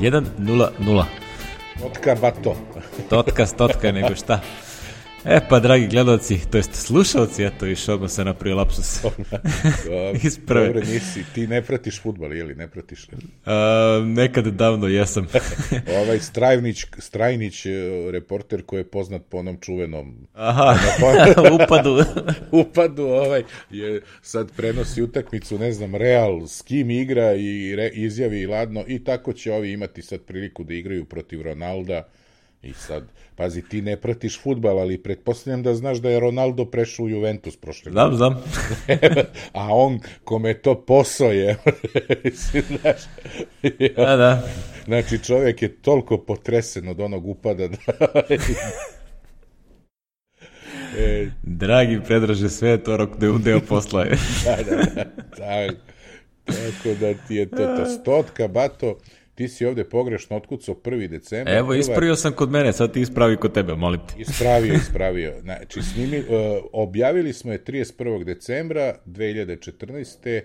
1:0. Totka bato. Totka, nego šta. Pa, dragi gledalci, to jest slušalci, eto, više odmah se napravio lapsus. Dobro, nisi, ti ne pratiš fudbal, ili ne pratiš? Nekad davno jesam. Strajnić, reporter koji je poznat po onom čuvenom... upadu, je sad prenosi utakmicu, ne znam, Real, s kim igra i izjavi ladno i tako će ovi imati sad priliku da igraju protiv Ronalda. I sad, pazi, ti ne pratiš fudbal, ali pretpostavljam da znaš da je Ronaldo prešao u Juventus prošle godine. Znam. A on, kome to posao je, znaš. Da. Znači, čovjek je toliko potresen od onog upada da... Dragi Predraže, sve je to deo posla. Da. Tako da ti je to stotka, bato. Ti si ovde pogrešno otkucao 1. decembar. Evo, ispravio sam kod mene, sad ti ispravi kod tebe, molim te. Ispravio. Znači, objavili smo je 31. decembra 2014.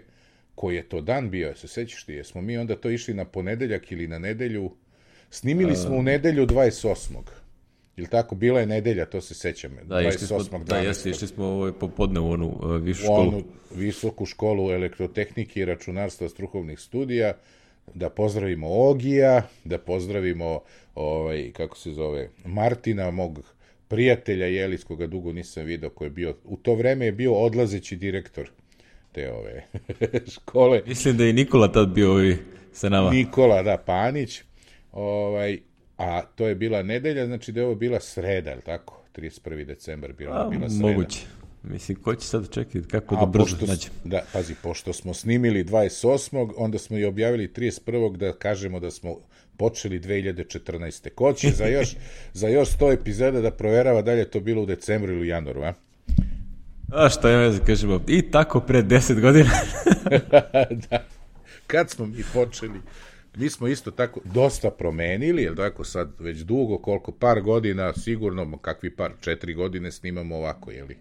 Koji je to dan bio, se sećaš ti? Jesmo mi onda to išli na ponedeljak ili na nedelju? Snimili smo u nedelju 28. Ili tako, bila je nedelja, to se sećam. Da, 28. Išli smo popodne u onu višu školu. Visoku školu elektrotehnike i računarstva strukovnih studija. Da pozdravimo Ogija, da pozdravimo kako se zove, Martina, mog prijatelja Jelis, koga dugo nisam video, koji je bio, u to vreme je bio odlazeći direktor te škole. Mislim da je Nikola tad bio sa nama. Nikola, da, Panić. A to je bila nedelja, znači da je ovo bila sreda, je li tako? 31. decembar bila sreda. Moguće. Mislim, ko će sad čekati kako da brzo nađe? Da, pazi, pošto smo snimili 28. onda smo i objavili 31. da kažemo da smo počeli 2014. Ko će za još 100 epizoda da proverava da li je to bilo u decembru ili u januaru, a? A što ja ne kažemo, i tako pre 10 godina. Da, kad smo mi počeli, mi smo isto tako dosta promenili, jer tako sad već dugo, koliko, par godina, sigurno, kakvi 4 godine snimamo ovako, jeli?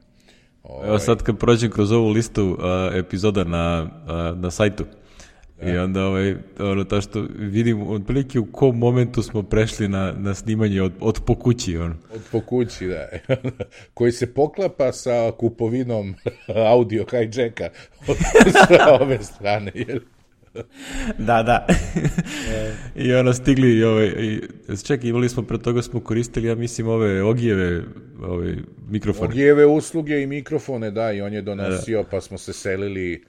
Evo sad kad prođem kroz ovu listu epizoda na sajtu i onda to što vidim otprilike u kom momentu smo prešli na snimanje od po kući. Od po kući, da. Koji se poklapa sa kupovinom audio hijacka sa ove strane, jel? Da. I stigli čekaj, imali smo pre toga smo koristili, ja mislim, ove Ogijeve mikrofone. Ogijeve usluge i mikrofone, da, i on je donosio, pa smo se selili,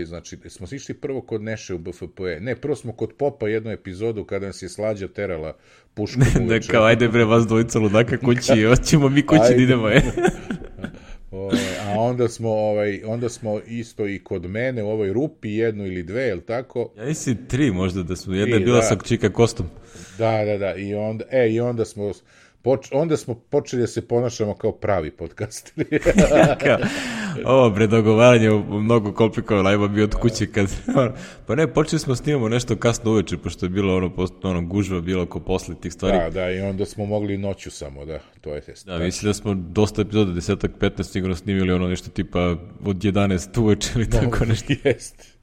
znači, smo išli prvo kod Neše u BFP. Ne, prvo smo kod Popa jednu epizodu kada nas je Slađa terala puškom uveče. Kao, ajde bre, vas dvojica ludaka kući, hoćemo mi kući da idemo, A onda smo isto i kod mene u ovoj rupi, 1 ili 2, je li tako? Ja mislim 3 možda da smo, jedna je bila sa Čika Kostom. Da, i onda smo počeli da se ponašamo kao pravi podcasteri. Ovo predogovaranje mnogo komplikovalo, ajmo bi od kuće kad... Pa ne, počeli smo snimamo nešto kasno uveče, pošto je bilo gužva, bilo ko posle tih stvari. Da, i onda smo mogli noću samo, da, to je test. Da, mislim da smo dosta epizoda, 10-15 sigurno snimili nešto tipa od 11 uveče ili tako nešto. Jest.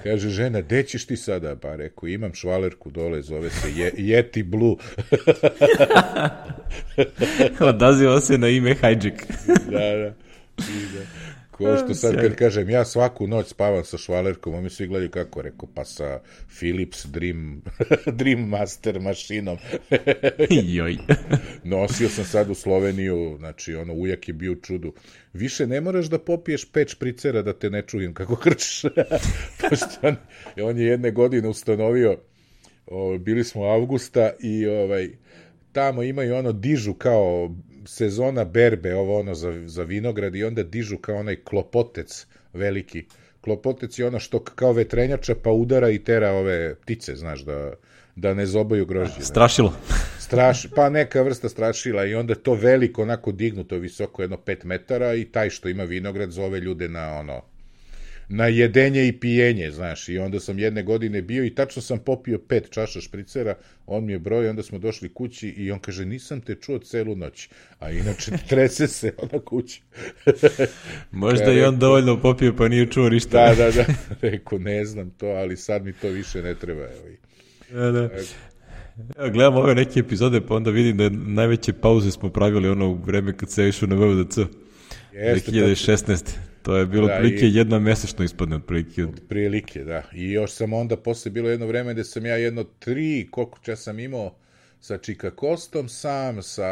Kaže žena, gde ćeš ti sada? Pa reku, imam švalerku dole, zove se Yeti Blue. Odaziva se na ime Hijack. Da. Ko što sad kad kažem, ja svaku noć spavam sa švalerkom, a mi svi gledaju kako, reku, pa sa Philips Dream Master mašinom. Joj. Nosio sam sad u Sloveniju, znači, ujak je bio u čudu. Više ne moraš da popiješ 5 špricera da te ne čujem kako krčiš. Pošto on je jedne godine ustanovio, bili smo avgusta i tamo imaju dižu kao sezona berbe, za vinograd i onda dižu kao onaj klopotec veliki. Klopotec je što kao vetrenjača pa udara i tera ove ptice, znaš, da ne zobaju grožđe. Strašilo. Pa neka vrsta strašila i onda to veliko, onako dignuto visoko, 5 metara i taj što ima vinograd zove ljude na jedenje i pijenje, znaš, i onda sam jedne godine bio i tačno sam popio 5 čaša špricera, on mi je broj, onda smo došli kući i on kaže, nisam te čuo celu noć, a inače trese se ona kući. Možda i on dovoljno popio pa nije čuo ništa. Da, rekao, ne znam to, ali sad mi to više ne treba. Da. Evo, gledam ove neke epizode, pa onda vidim da najveće pauze smo pravili ono u vreme kad se išao na VVDC. 2016. To je bilo prilike jedna mesečno ispadne otprilike. Otprilike, da. I još sam onda posle bilo jedno vreme gde sam ja jedno 3, koliko čas sam imao sa Čika Kostom sam, sa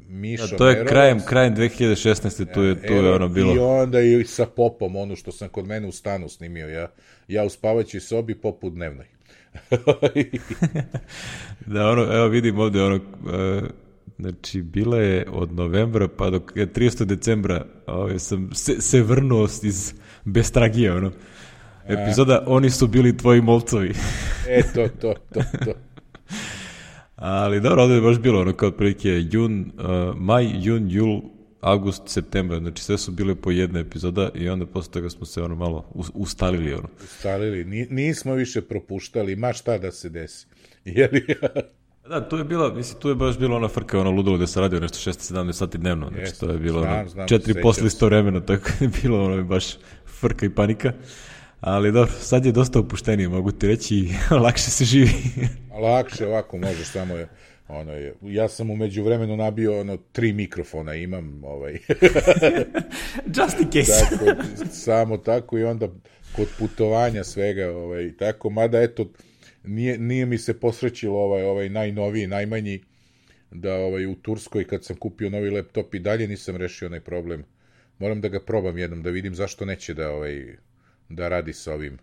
Mišom. To je krajem 2016. Tu je ono bilo. I onda i sa Popom, ono što sam kod mene u stanu snimio. Ja u spavaćoj sobi, Pop u dnevnoj. Da, ono, evo vidim ovde ono, znači bila je od novembra pa do 30. decembra sam se vrnuo iz Bestragije, ono. Epizoda Oni su bili tvoji molcovi. To. Ali dobro, ovdje je baš bilo ono kao otprilike maj, jun, jul, avgust, septembar, znači sve su bile po jedna epizoda i onda posle toga smo se ono malo ustalili. Ono. Ustalili, nismo više propuštali, ma šta da se desi. Jeli? Da, tu je baš bilo ona frka, ono ludilo da se radio nešto 6-17 sati dnevno, znači to je bilo 4 posle isto vremena, tako je bilo ono baš frka i panika. Ali dobro, sad je dosta opuštenije, mogu ti reći, i lakše se živi. Lakše, ovako možeš samo ja sam umeđu vremenu nabio 3 mikrofona, imam just in case. Tako, samo tako i onda kod putovanja svega, tako, mada eto, nije mi se posrećilo ovaj najnoviji, najmanji, da u Turskoj kad sam kupio novi laptop i dalje nisam rešio onaj problem. Moram da ga probam jednom, da vidim zašto neće da radi sa ovim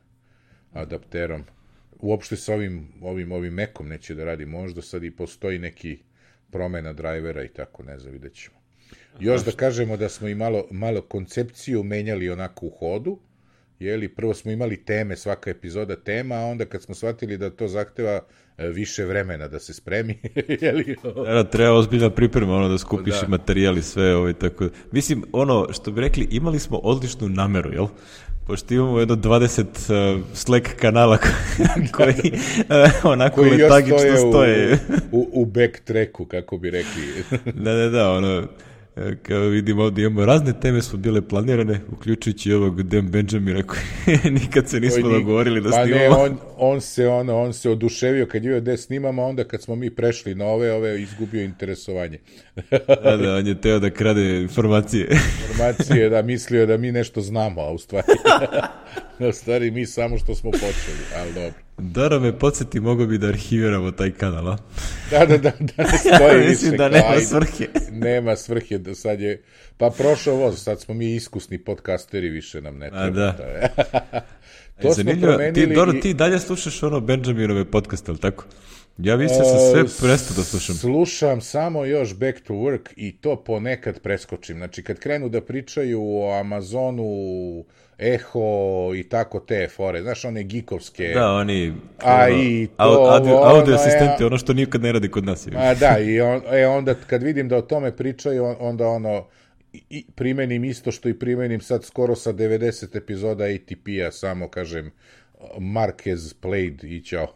adapterom. Uopšte sa ovim Macom neće da radi. Možda sad i postoji neki promena drivera i tako, ne znam, vidjet ćemo. Još da kažemo da smo i malo koncepciju menjali onako u hodu. Prvo smo imali teme, svaka epizoda tema, a onda kad smo shvatili da to zahteva više vremena da se spremi. Treba ozbiljna priprema, da skupiš materijali, sve tako. Mislim, što bi rekli, imali smo odličnu nameru, jel? Pošto imamo jedno 20 Slack kanala koji onako letagično stoje. U backtracku, kako bi rekli. Da, kao vidimo ovdje imamo razne teme su bile planirane, uključujući ovog Dan Benjamina koji nikad se nismo dogovorili da snimamo. Pa ne, on se oduševio kad je gde snimamo, onda kad smo mi prešli na ove izgubio interesovanje. Da, on je teo da krade informacije. Informacije, da, mislio da mi nešto znamo, a u stvari mi samo što smo počeli, ali dobro. Dara me podsjeti, mogo bi da arhiviramo taj kanal, a? Da ne stoji više. Mislim da nema svrhe. Nema svrhe, da sad je, pa prošao voz, sad smo mi iskusni podcasteri, više nam ne treba. Da. To smo promenili. Ti dalje slušaš Benjaminove podcaste, ali tako? Ja mislim sam sve prestao da slušam. Slušam samo još Back to Work i to ponekad preskočim. Znači, kad krenu da pričaju o Amazonu, Eho i tako te fore, znaš, one geekovske. Da, oni audio asistenti, ono što nikad ne radi kod nas. Da, i onda kad vidim da o tome pričaju, onda primenim isto što i primenim sad skoro sa 90 epizoda ATP-a, samo kažem Marquez played i čao.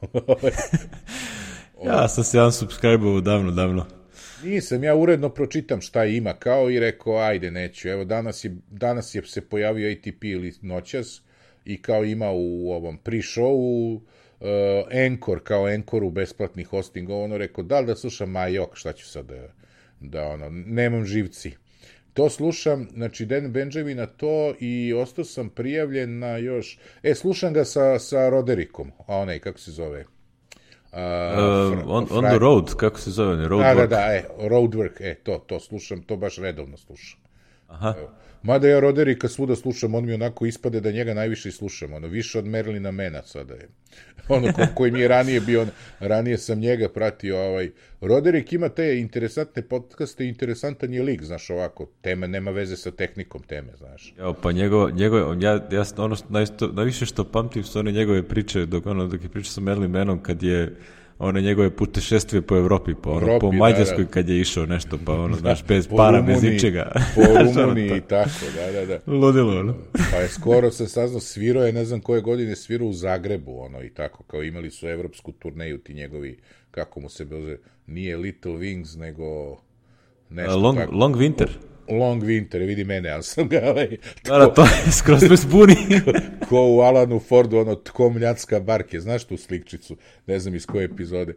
Ja sam se unsubscribe-ovo davno. Nisam, ja uredno pročitam šta ima, kao i rekao, ajde, neću. Evo, danas je se pojavio ATP ili noćas i kao ima u ovom pre-showu Anchor, kao Anchoru besplatni hosting, rekao, da li da slušam, šta ću sad nemam živci. To slušam, znači Dan Benjamina to i ostao sam prijavljen na još, slušam ga sa Roderickom, kako se zove? On the road, kako se zove? Roadwork, to slušam, to baš redovno slušam. Aha. Mada ja Roderika svuda slušam, on mi onako ispade da njega najviše i slušam, više od Merlina Mena sada je. Koji mi je ranije bio, ranije sam njega pratio, Roderik ima te interesantne podcaste, interesantan je lik, znaš, ovako, tema nema veze sa tehnikom teme, znaš. Evo, pa najviše što pamtim su one njegove priče, dok je pričao sa Merlin Menom, kad je one njegove putešestvije po Evropi, pa ono, Evropi, po Mađarskoj kad je išao nešto, pa ono, znaš, bez po para, Rumuniji, bez ničega. Po Rumuniji i tako, da. Ludilo, ono. Pa je skoro se saznao, svirao je, ne znam koje godine, svirao u Zagrebu, ono, i tako, kao imali su evropsku turneju, ti njegovi, kako mu se zove, nije Little Wings, nego nešto tako. Long Winter. Long Winter, vidi mene, ali sam ga, To je skroz me zbuni. ko u Alanu Fordu, ono, tko mljacka barke, znaš tu slikčicu, ne znam iz koje epizode,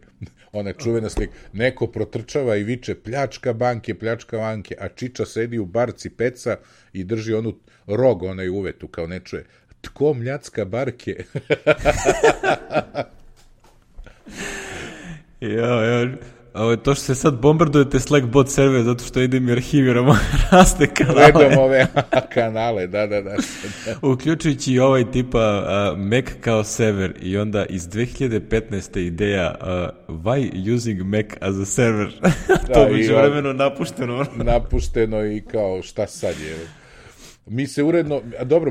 ona čuvena slika, neko protrčava i viče pljačka banke, a Čiča sedi u barci peca i drži onu rog, onaj uvetu, kao ne čuje, tko mljacka barke. Ja. To što se sad bombardujete Slack bot server zato što idem i arhiviramo razne kanale. Redom ove kanale, da. Uključujući i ovaj tipa Mac kao server i onda iz 2015. ideja why using Mac as a server. To biće vremeno napušteno. Napušteno i kao šta sad je. Mi se uredno,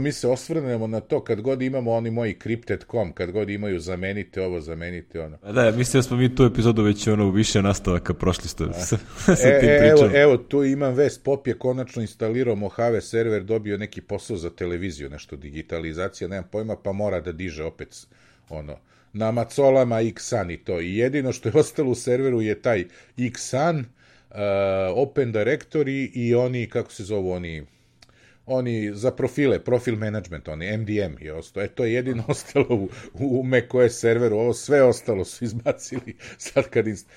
mi se osvrnemo na to kad god imamo oni moji Crypted.com, kad god imaju zamenite ovo, zamenite ono. Da, mislim da smo mi tu epizodu već u više nastavaka prošli sa tim pričama. Evo, tu imam vest, Pop je konačno instalirao Mojave server, dobio neki posao za televiziju, nešto digitalizacija, nemam pojma, pa mora da diže opet ono, na macolama Xan i to. I jedino što je ostalo u serveru je taj Xan, Open Directory i oni, kako se zovu, oni za profile, profil management, oni MDM je ostao. To je jedino ostalo u macOS serveru, ovo sve ostalo su izbacili sad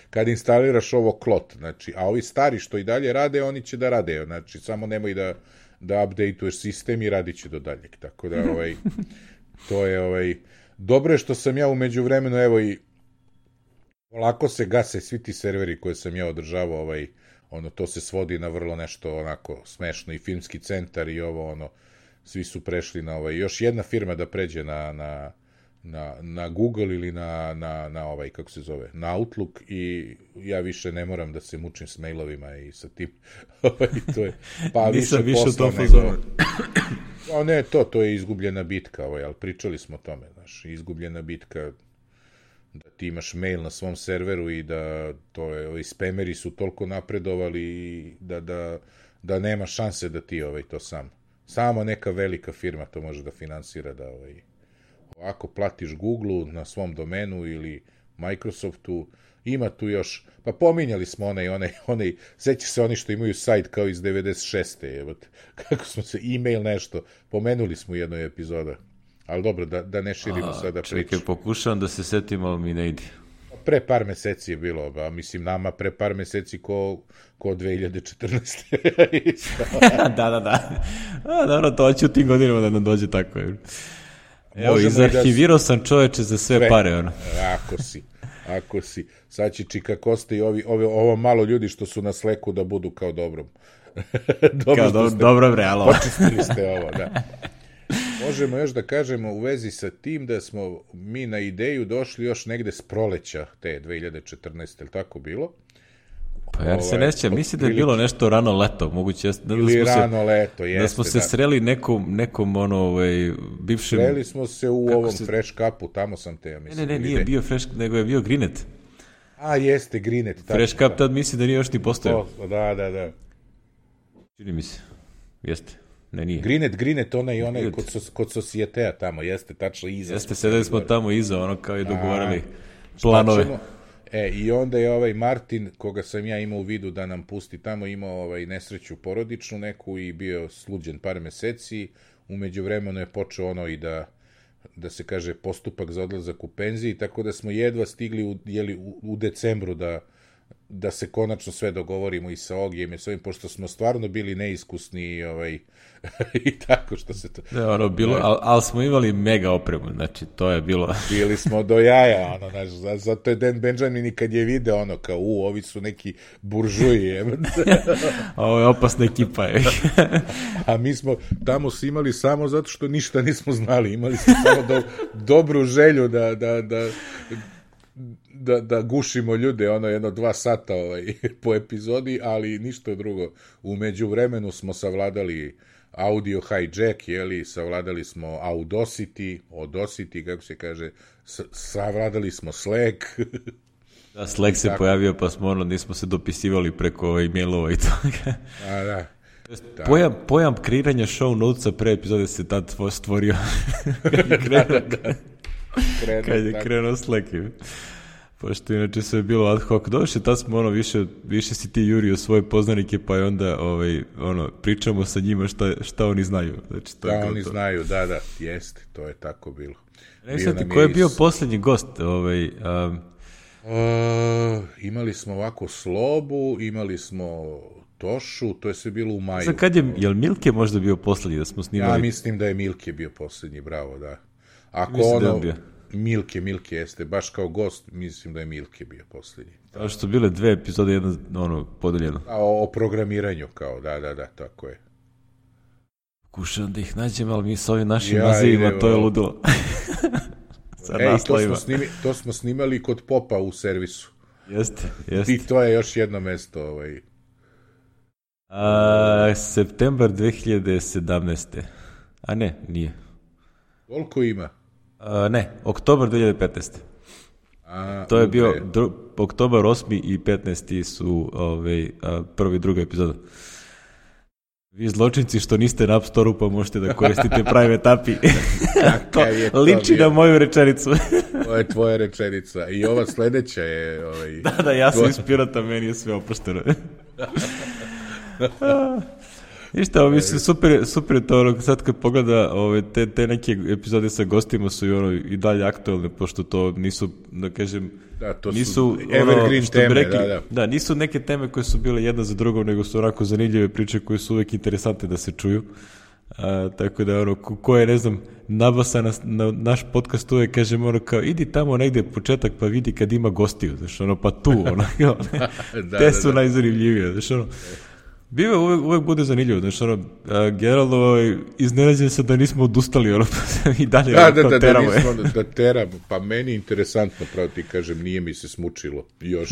kad instaliraš ovo klot, znači, a ovi stari što i dalje rade, oni će da rade, znači, samo nemoj da updateuješ sistem i radit će do daljeg, tako da, to je, dobro je što sam ja u međuvremenu, evo i polako se gase svi ti serveri koje sam ja održavao, to se svodi na vrlo nešto onako smešno i filmski centar i ovo, svi su prešli na još jedna firma da pređe na Google ili na kako se zove, na Outlook i ja više ne moram da se mučim s mailovima i sa tim, to je, pa nisam više posla nego... Ne, to je izgubljena bitka, ali pričali smo o tome, znaš, izgubljena bitka, da ti imaš mail na svom serveru i da spameri su toliko napredovali da nema šanse da ti to sam. Samo neka velika firma to može da finansira, da ovako platiš Google-u na svom domenu ili Microsoftu, ima tu još, pa pominjali smo onaj, seća se oni što imaju sajt kao iz 96. Kako smo se, e-mail nešto, pomenuli smo u jednoj epizodu. Ali dobro, da ne širimo sada priču. Čekaj, pokušavam da se setim, ali mi ne ide. Pre par meseci je bilo, mislim, nama pre par meseci ko 2014. Da. Dobro, to će u tim godinama da nam dođe tako. Evo, izarhivirao sam čoveče za sve pare. Ono. Ako si. Sad će Čika Kosta i ovo malo ljudi što su na Slacku da budu kao dobrom. Dobro bre, alo. Počistili ste ovo, da. Možemo još da kažemo u vezi sa tim da smo mi na ideju došli još negde s proleća te 2014. ili tako bilo? Pa ja se ne sjećam, mislim da je bilo nešto rano leto, moguće ili rano leto, jeste. Da smo se sreli nekom bivšem... Sreli smo se u ovom Fresh Cupu, tamo sam te, ja mislim. Ne, nije bio Fresh, nego je bio Greenet. A, jeste, Greenet. Fresh Cup tad mislim da nije još ni postojao. Da. Čini mi se, jeste. Ne, nije. Greenet, onaj kod Societea tamo, jeste, tačno iza. Jeste, sedeli smo tamo iza, kao i dogovarali planove. I onda je ovaj Martin, koga sam ja imao u vidu da nam pusti tamo, imao nesreću porodičnu neku i bio sluđen par meseci. U međuvremenu je počeo i da se kaže postupak za odlazak u penziji, tako da smo jedva stigli u decembru da se konačno sve dogovorimo i sa Ogijem i s ovim, pošto smo stvarno bili neiskusni i tako što se to... Da, bilo, ali smo imali mega opremu, znači to je bilo... Bili smo do jaja, zato je Dan Benjamin i kad je video, kao, ovi su neki buržuji. Ovo je opasna ekipa. A mi smo tamo imali samo zato što ništa nismo znali, imali smo samo dobru želju da gušimo ljude, 1-2 sata po epizodi, ali ništa drugo. U međuvremenu smo savladali audio hijack, savladali smo Audacity, kako se kaže, savladali smo Slack, Da, Slack se pojavio, pa smo nismo se dopisivali preko e-mailova i toga. Da. Pojam kreiranja show notesa pre epizode se tad stvorio. Kad je krenuo Slack. Pošto inače sve je bilo ad hoc. Došli, tad smo više si ti jurio svoje poznanike, pa je onda pričamo sa njima šta oni znaju. Znači, to da, oni znaju, da, jeste, to je tako bilo. Ne znam ko je bio posljednji gost? Imali smo ovako Slobu, imali smo Tošu, to je sve bilo u maju. Znam je li Milke možda bio posljednji da smo snimali? Ja mislim da je Milke bio posljednji, bravo, da. Ako Milke jeste, baš kao gost, mislim da je Milke bio posljednji. Kao što su bile 2 epizode, jedna podeljeno. O programiranju kao, da, tako je. Pokušam da ih nađem, ali mi s ovim našim nazivima, to je ludilo. To smo snimali kod Popa u servisu. Jeste. I to je još jedno mesto. Septembar 2017. A ne, nije. Koliko ima? Ne, oktobar 2015. To je bio oktobar 8. i 15. su prvi i druga epizoda. Vi zločinci što niste na App Store-u, pa možete da koristite private API. To liči na moju rečenicu. Ovo je tvoja rečenica. I ova sledeća je... Da, ja sam inspirata, meni je sve opušteno. Ništa, mislim, super je to, sad kad pogleda te neke epizode sa gostima su i dalje aktualne, pošto to nisu, da kažem, nisu evergreen teme, da, nisu neke teme koje su bile jedna za drugom, nego su onako zanimljive priče koje su uvek interesantne da se čuju. Tako da, ko je, ne znam, nabasa na naš podcast uvek, kažem, kao, idi tamo negde početak pa vidi kad ima gostiju, znaš, pa tu, te su najzanimljivije, znaš, uvek bude zanimljivo, znači generalno iznenađen se da nismo odustali, i dalje teramo. Da teramo, pa meni je interesantno, pravo ti kažem, nije mi se smučilo još.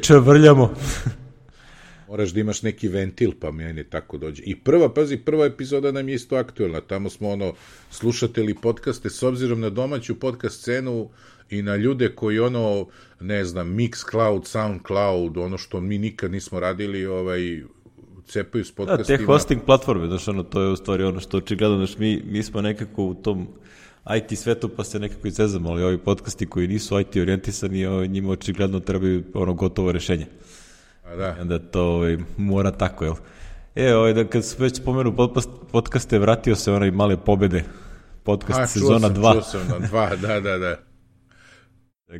Čavrljamo. Moraš da imaš neki ventil, pa meni tako dođe. I prva epizoda nam je isto aktuelna, tamo smo slušatelji podcaste, s obzirom na domaću podcast scenu i na ljude koji ne znam, Mixcloud, Soundcloud, ono što mi nikad nismo radili, cepaju s podcastima. Te hosting platforme, znači to je u stvari ono što očigledno, znači mi smo nekako u tom IT svetu pa se nekako izezamo, ali ovi podcasti koji nisu IT orijentisani, njima očigledno trebaju gotovo rešenje. Da. I onda to mora tako, jel? Kad se već spomenu podcaste, vratio se onaj Male pobede, podcast sezona 2. Čuo sam na 2, da.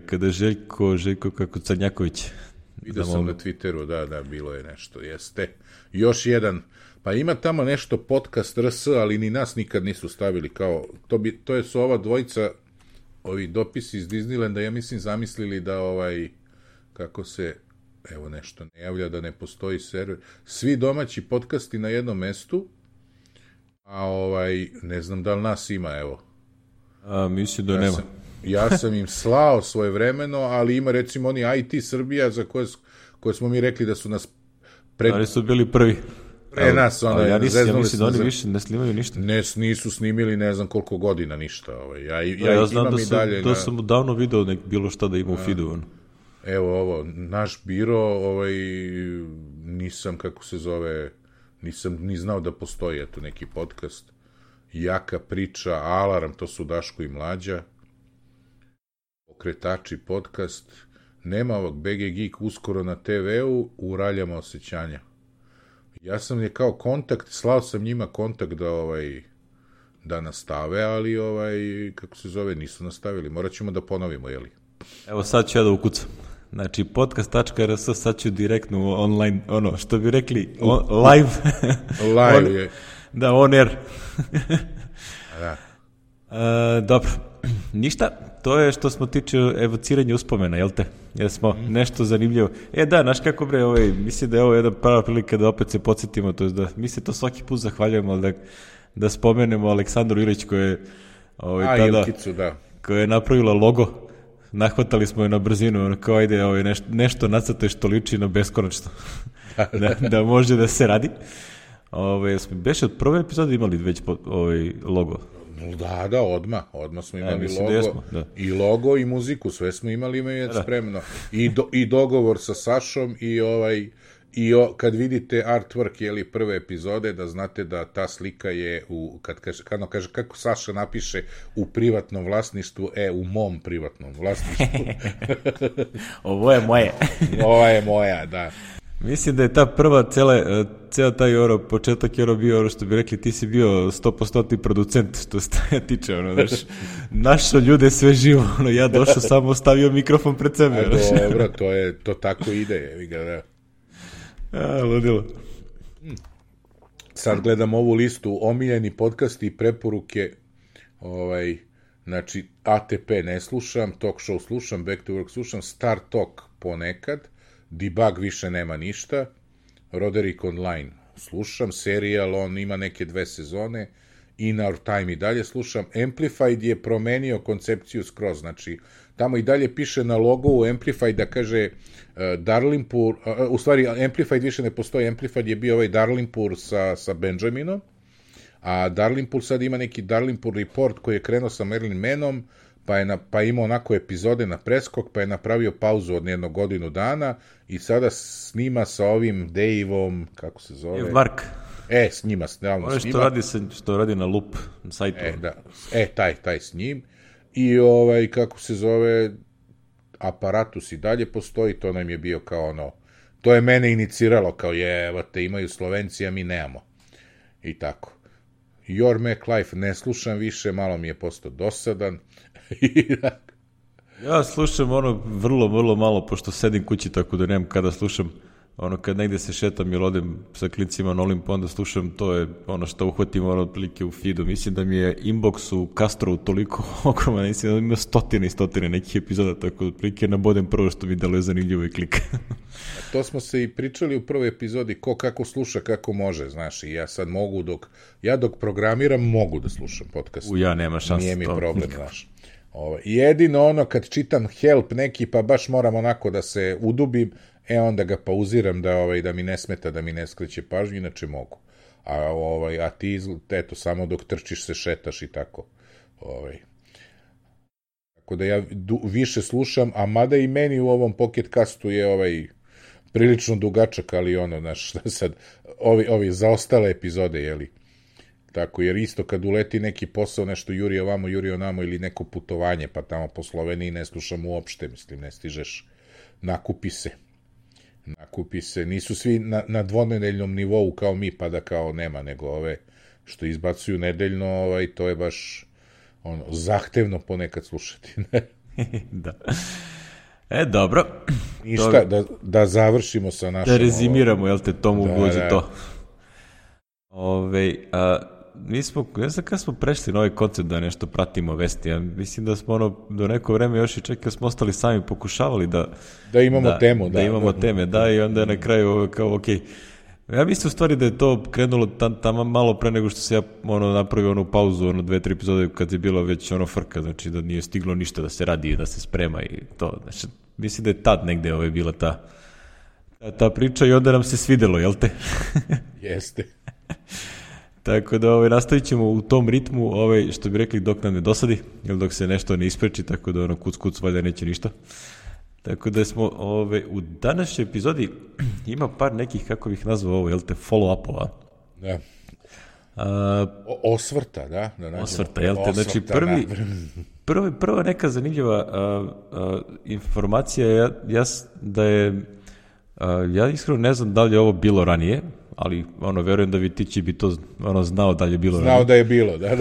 Kada Željko kako Crnjaković. Vidio sam na Twitteru, da, bilo je nešto, jeste. Još jedan, pa ima tamo nešto podcast RS, ali ni nas nikad nisu stavili, kao, to su ova dvojica, ovi dopisi iz Disneylanda, ja mislim zamislili da kako se, evo nešto ne javlja, da ne postoji server, svi domaći podcasti na jednom mestu, a ne znam da li nas ima, evo. Mislim da nema. Ja sam im slao svojevremeno, ali ima recimo oni IT Srbija za koje smo mi rekli da su nas ali su bili prvi. Pre nas, ja mislim da oni više ne snimaju ništa. Nisu snimili ne znam koliko godina ništa. Ja znam da sam davno video bilo šta da ima u feedu. Evo ovo, naš biro, nisam, kako se zove, nisam ni znao da postoji neki podcast. Jaka priča, Alarm, to su Daško i Mlađa. Pokretači podcast, nema ovog BG Geek uskoro na TV-u, u Raljama osjećanja. Ja sam je kao kontakt, slao sam njima kontakt da nastave, ali kako se zove, nisu nastavili. Morat ćemo da ponovimo, jeli? Evo sad ću ja da ukucam. Znači podcast.rs, sad ću direktno online, što bi rekli, live. Live je. Da, on air. Da. Dobro, ništa, to je što smo tiče evociranja uspomena, jel te? Jer smo nešto zanimljivo. Da, znaš kako bre, mislim da je ovo jedna prava prilika da opet se podsjetimo, to je da mi se to svaki put zahvaljujemo, ali da spomenemo Aleksandru Ilić koja je tada, Ilkicu, da. koja je napravila logo, nahvatali smo je na brzinu, kao ajde nešto nacrtaj što liči na beskonačno, da može da se radi. Beše od prve epizode imali već logo? Da, odmah smo imali logo, jesmo, da. i logo i muziku, sve smo imali već spremno. I dogovor sa Sašom kad vidite artwork prve epizode, da znate da ta slika je kad kaže kako Saša napiše u privatnom vlasništvu, u mom privatnom vlasništvu. Ovo je moje. Ova je moja, da. Mislim da je ta prva ceo taj početak bio, što bi rekli, ti si bio 100% producent, što se taja tiče, znaš, našao ljude sve živo, ja došao samo stavio mikrofon pred sebe. Dobro, to tako ide, da. Ludilo. Sad gledam ovu listu, omiljeni podcasti i preporuke, znači, ATP ne slušam, Talk Show slušam, Back to Work slušam, Star Talk ponekad, Debug više nema ništa, Roderick Online slušam, serijal, on ima neke 2 sezone, In Our Time i dalje slušam, Amplified je promenio koncepciju skroz, znači, tamo i dalje piše na logovu Amplified da kaže Darlinpur, u stvari Amplified više ne postoji, Amplified je bio Darlinpur sa Benjaminom, a Darlinpur sad ima neki Darlinpur report koji je krenuo sa Marilyn Manom, pa je imao onako epizode na preskok, pa je napravio pauzu od jednog godinu dana i sada snima sa ovim Daveom, kako se zove? Mark. S njima stalno snima. Što radi na Loop na sajtu. Taj s njim. I kako se zove, Aparatus i dalje postoji, to nam je bio kao to je mene iniciralo, kao imaju Slovenci, a mi nemamo. I tako. Your Mac Life ne slušam više, malo mi je postao dosadan. Ja slušam vrlo, vrlo malo, pošto sedim kući, tako da nemam kada slušam. Kad negde se šetam ili odem sa klincima na Olimp, onda slušam, to je što uhvatim otprilike u feedu. Mislim da mi je inbox u Castrovu toliko ogroman, mislim da ima stotine i stotine nekih epizoda, tako da otprilike nabodem prvo što mi deluje zanimljivo i klika. To smo se i pričali u prvoj epizodi, ko kako sluša, kako može, znaš, i ja sad mogu dok programiram, mogu da slušam podcast. Ja nema šanse. Nije mi problem, znaš. Jedino kad čitam help neki, pa baš moram onako da se udubim, onda ga pauziram da mi ne smeta, da mi ne skreće pažnju, inače mogu. A ti, eto, samo dok trčiš se šetaš i tako. Tako da ja više slušam, a mada i meni u ovom Pocketcastu je prilično dugačak, ali znaš, sad, ovi zaostale epizode, jeli? Tako, jer isto kad uleti neki posao, nešto juri ovamo, juri onamo, ili neko putovanje, pa tamo po Sloveniji ne slušam uopšte, mislim, ne stižeš, nakupi se, nisu svi na dvonedeljnom nivou kao mi, pa da kao nema, nego ove što izbacuju nedeljno, to je baš zahtevno ponekad slušati. Da. Dobro. Ništa, da završimo sa našom... Da rezimiramo, jel te, tomu ugođe to. Ne znam kada smo prešli na ovaj koncept da nešto pratimo vesti, ja mislim da smo do neko vreme još i čekaj smo ostali sami pokušavali da imamo temu. Da imamo teme, i onda na kraju kao ok. Ja mislim u stvari da je to krenulo tamo malo pre nego što se ja napravio onu pauzu, 2-3 epizode kad je bilo već frka, znači da nije stiglo ništa da se radi, da se sprema i to. Znači, mislim da je tad negde bila ta priča i onda nam se svidelo, jel te? Jeste. Tako da nastavit ćemo u tom ritmu, što bi rekli, dok nam ne dosadi, ili dok se nešto ne ispreči, tako da kuc valjda neće ništa. Tako da smo u današnjoj epizodi ima par nekih, kako bih nazvao jel te, follow-upova. Da. Osvrta, da? Osvrta, jel te, znači prva neka zanimljiva informacija je ja iskreno ne znam da li je ovo bilo ranije, ali verujem da Vitići bi to znao da li je bilo ranije. Znao da je bilo, da.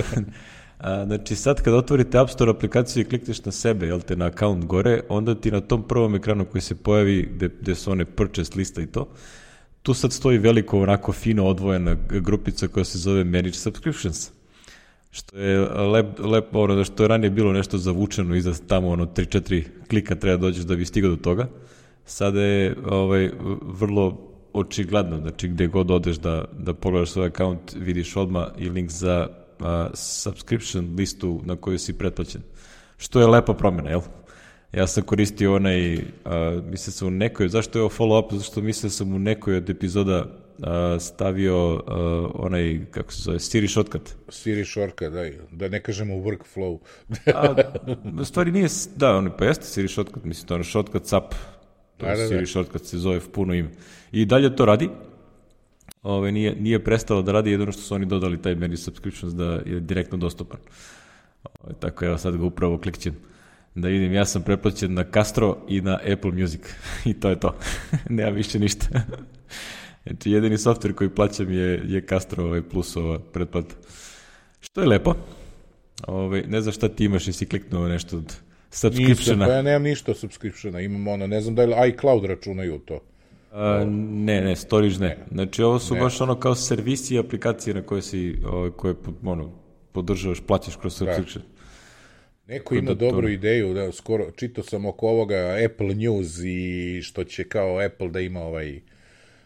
Znači sad kad otvorite App Store aplikaciju i klikneš na sebe, jel te, na account gore, onda ti na tom prvom ekranu koji se pojavi gde su one purchase lista i to, tu sad stoji veliko, onako fino odvojena grupica koja se zove Manage Subscriptions. Što je lepo, što je ranije bilo nešto zavučeno iza tamo 3-4 klika treba dođeš da bi stigao do toga. Sada je vrlo očigledno, znači gde god odeš da pogledaš svoj account, vidiš odmah i link za subscription listu na koju si pretplaćen. Što je lepa promjena, jel? Ja sam koristio mislio sam u nekoj, zašto je ovo follow-up? Zato što mislio sam u nekoj od epizoda stavio onaj, kako se zove, Siri shortcut. Siri shortcut, da ne kažemo workflow. U stvari nije, da, pa jeste Siri shortcut, mislim, to je shortcut SAP. Siri shortcut se zove puno ime. I dalje to radi. Nije prestalo da radi, jedino što su oni dodali taj menu subscriptions da je direktno dostupan. Tako evo sad ga upravo klikćem. Da vidim, ja sam pretplaćen na Castro i na Apple Music. I to je to. Nema više ništa. Znači, jedini software koji plaćam je Castro plus ova pretplata. Što je lepo. Ne znam šta ti imaš, jesi kliknuo nešto od subscriptiona. Pa ja nemam ništa od subscriptiona. Imam ne znam da li iCloud računaju to. Ne, storage ne. Znači, ovo su baš kao servisi i aplikacije na koje koje podržavaš, plaćaš kroz subscription. Neko ima dobru ideju, da skoro čitao sam oko ovoga Apple News i što će kao Apple da ima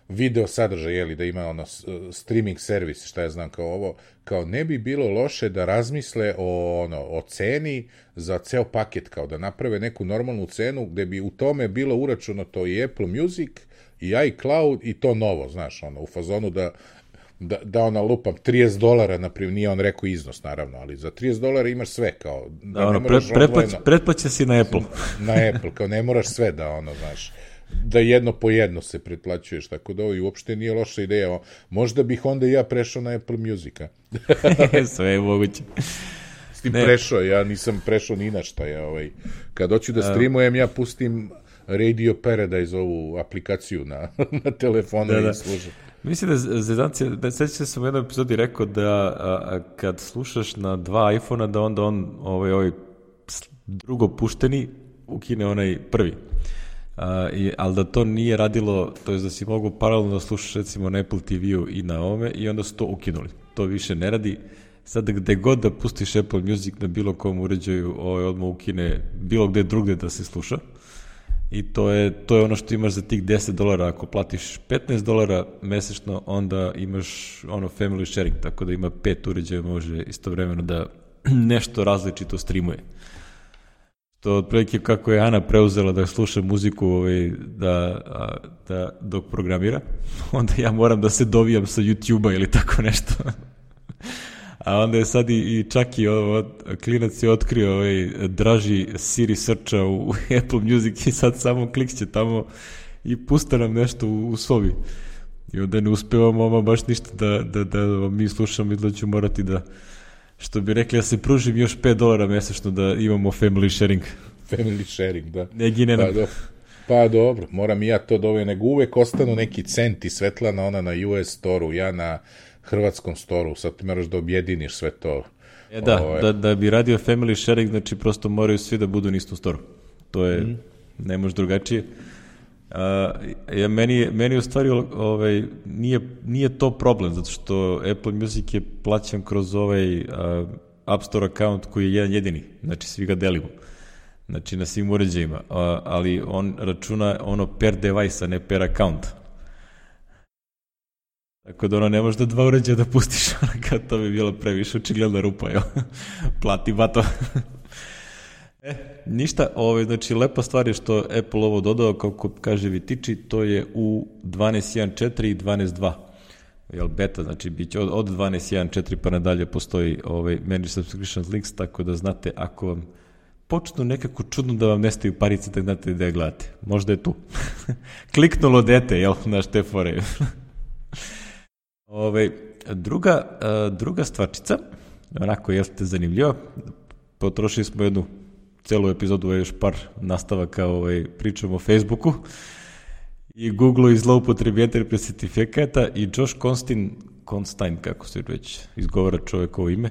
video sadržaj, da ima streaming servis, šta ja znam kao ovo, kao ne bi bilo loše da razmisle o ceni za ceo paket, kao da naprave neku normalnu cenu gde bi u tome bilo uračunato i Apple Music i iCloud i to novo, znaš, u fazonu da ona lupam $30, naprimjer, nije on rekao iznos, naravno, ali za $30 imaš sve, kao, pretplaća si na Apple. Na Apple, kao ne moraš sve znaš, da jedno po jedno se pretplaćuješ, tako da ovo i uopšte nije loša ideja. Možda bih onda i ja prešao na Apple Music, a? Sve je moguće. S tim prešao, ja nisam prešao ni na šta, kad hoću da streamujem, ja pustim Radio Paradise, ovu aplikaciju na telefonu i služam. Mislim da sećam se u jednoj epizodi rekao da kad slušaš na 2 iPhone-a da onda on ovaj drugo pušteni ukine onaj prvi. Ali da to nije radilo, to je da si mogu paralelno da slušaš recimo na Apple TV-u i na ovome i onda su to ukinuli. To više ne radi. Sad gde god da pustiš Apple Music na bilo kom uređaju, odmah ukine bilo gde drugde da se sluša. I to je ono što imaš za tih $10. Ako platiš $15 mesečno, onda imaš family sharing, tako da ima 5 uređaja, može istovremeno da nešto različito streamuje. To otprilike kako je Ana preuzela da sluša muziku da dok programira, onda ja moram da se dovijam sa YouTube-a ili tako nešto. A onda je sad i čak i klinac je otkrio draži Siri searcha u Apple Music i sad samo klikće tamo i pusta nam nešto u sobi. I onda ne uspevamo baš ništa da mi slušamo i da ću morati da, što bi rekli, da se pružim još $5 mesečno da imamo family sharing. Family sharing, da. Ne gine nam. Pa dobro, moram i ja to doveo, nego uvek ostanu neki centi, Svetlana ona na US storu, ja na hrvatskom storu, sad ti moraš da objediniš sve to. Da bi radio family sharing, znači prosto moraju svi da budu na istom storu. To je, ne može drugačije. Meni u stvari nije to problem, zato što Apple Music je plaćan kroz App Store account koji je jedan jedini, znači svi ga delimo. Znači na svim uređajima, ali on računa per device, a ne per account. Tako da ne možeš da 2 uređaja da pustiš, kad to bi bilo previše, očigledna rupa, plati bato. Ništa, znači lepa stvar je što Apple ovo dodao, kako kaže Vitiči, to je u 12.1.4 i 12.2. Beta, znači bit će od 12.1.4 pa nadalje postoji Manage Subscriptions Links, tako da znate, ako vam počnu nekako čudno da vam nestaju parice, da znate da je gledate. Možda je tu. Kliknulo dete, znaš te fore. Druga stvarčica, onako jeste zanimljiva, potrošili smo jednu celu epizodu, još par nastavaka pričamo o Facebooku i Google-u i zloupotrebi Enterprise certifikata i Josh Constantine, kako se već izgovara čovekovo ime,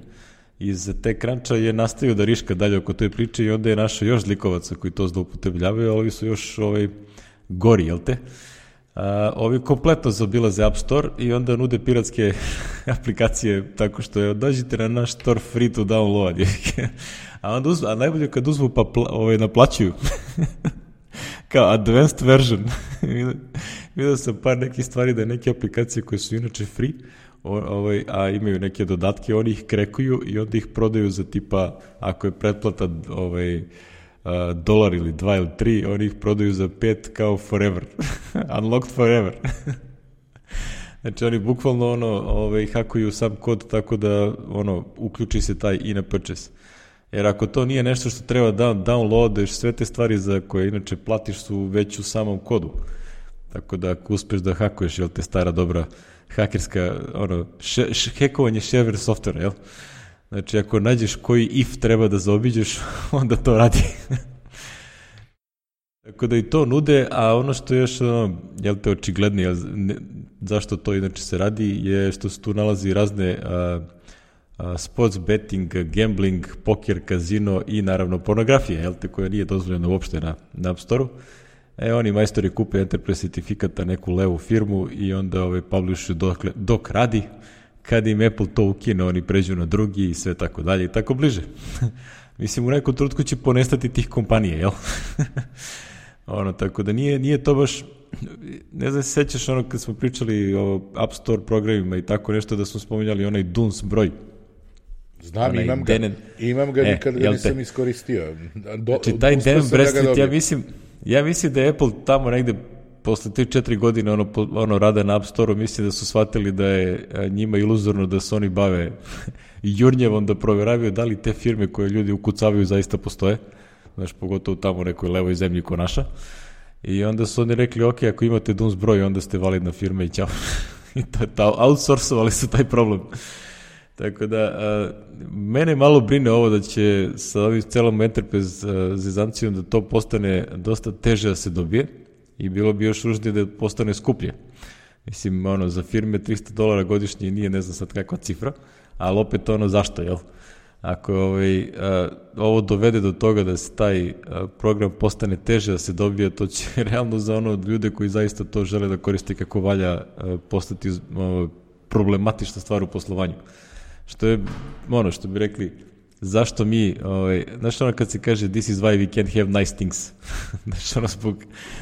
iz TechCruncha je nastavio da riška dalje oko toj priče i onda je našao još zlikovaca koji to zloupotrebljavaju, ali ovi su još gori, jel te? Ovi kompletno zaobilaze App Store i onda nude piratske aplikacije tako što je dođite na naš store free to download. A najbolje kad uzmu pa naplaćuju. Kao advanced version. Vidio sam par nekih stvari da neke aplikacije koje su inače free, a imaju neke dodatke, oni ih krekuju i onda ih prodaju za tipa, ako je pretplata $1 ili 2 ili 3, oni ih prodaju za 5 kao forever. Unlocked forever. Znači oni bukvalno hakuju sam kod tako da uključi se taj in-app purchase. Jer ako to nije nešto što treba da downloadaš, sve te stvari za koje inače platiš su već u samom kodu. Tako da ako uspeš da hakuješ, jel te stara dobra hakerska, hekovanje shareware softvera, jel? Znači ako nađeš koji if treba da zaobiđeš, onda to radi. Tako da i to nude, a ono što je još, jel te očiglednije, zašto to inače se radi, je što se tu nalazi razne sports betting, gambling, poker, kazino i naravno pornografija, jel te, koja nije dozvoljena uopšte na App Store-u. Oni majstori kupe Enterprise certifikata, neku levu firmu i onda publishuju dok radi. Kad im Apple to ukine, oni pređu na drugi i sve tako dalje i tako bliže. Mislim, u nekom trenutku će ponestati tih kompanije, jel? Tako da nije to baš, ne znam, se sećaš kad smo pričali o App Store programima i tako nešto, da smo spominjali onaj DUNS broj. Znam, imam ga, nikad ga nisam iskoristio. Znači, taj Dan Bradstreet, ja mislim da je Apple tamo negde posle 3-4 godine rada na App Store-u, mislim da su shvatili da je njima iluzorno da se oni bave jurnjevom, da proveravaju da li te firme koje ljudi ukucavaju zaista postoje, znaš, pogotovo tamo u nekoj levoj zemlji ko naša. I onda su oni rekli, ok, ako imate DUNS broj, onda ste validna firma i ćao. I outsourcovali su taj problem. Tako da, mene malo brine ovo da će sa ovim celom Enterprise zezancijom da to postane dosta teže da se dobije i bilo bi još ružnije da postane skuplje. Mislim, za firme $300 godišnje nije, ne znam sad kakva cifra, ali opet zašto, jel? Ako ovo dovede do toga da se taj program postane teže da se dobije, to će realno za ljude koji zaista to žele da koriste kako valja postati problematična stvar u poslovanju. Što je, što bi rekli, zašto mi, znaš kad se kaže this is why we can't have nice things.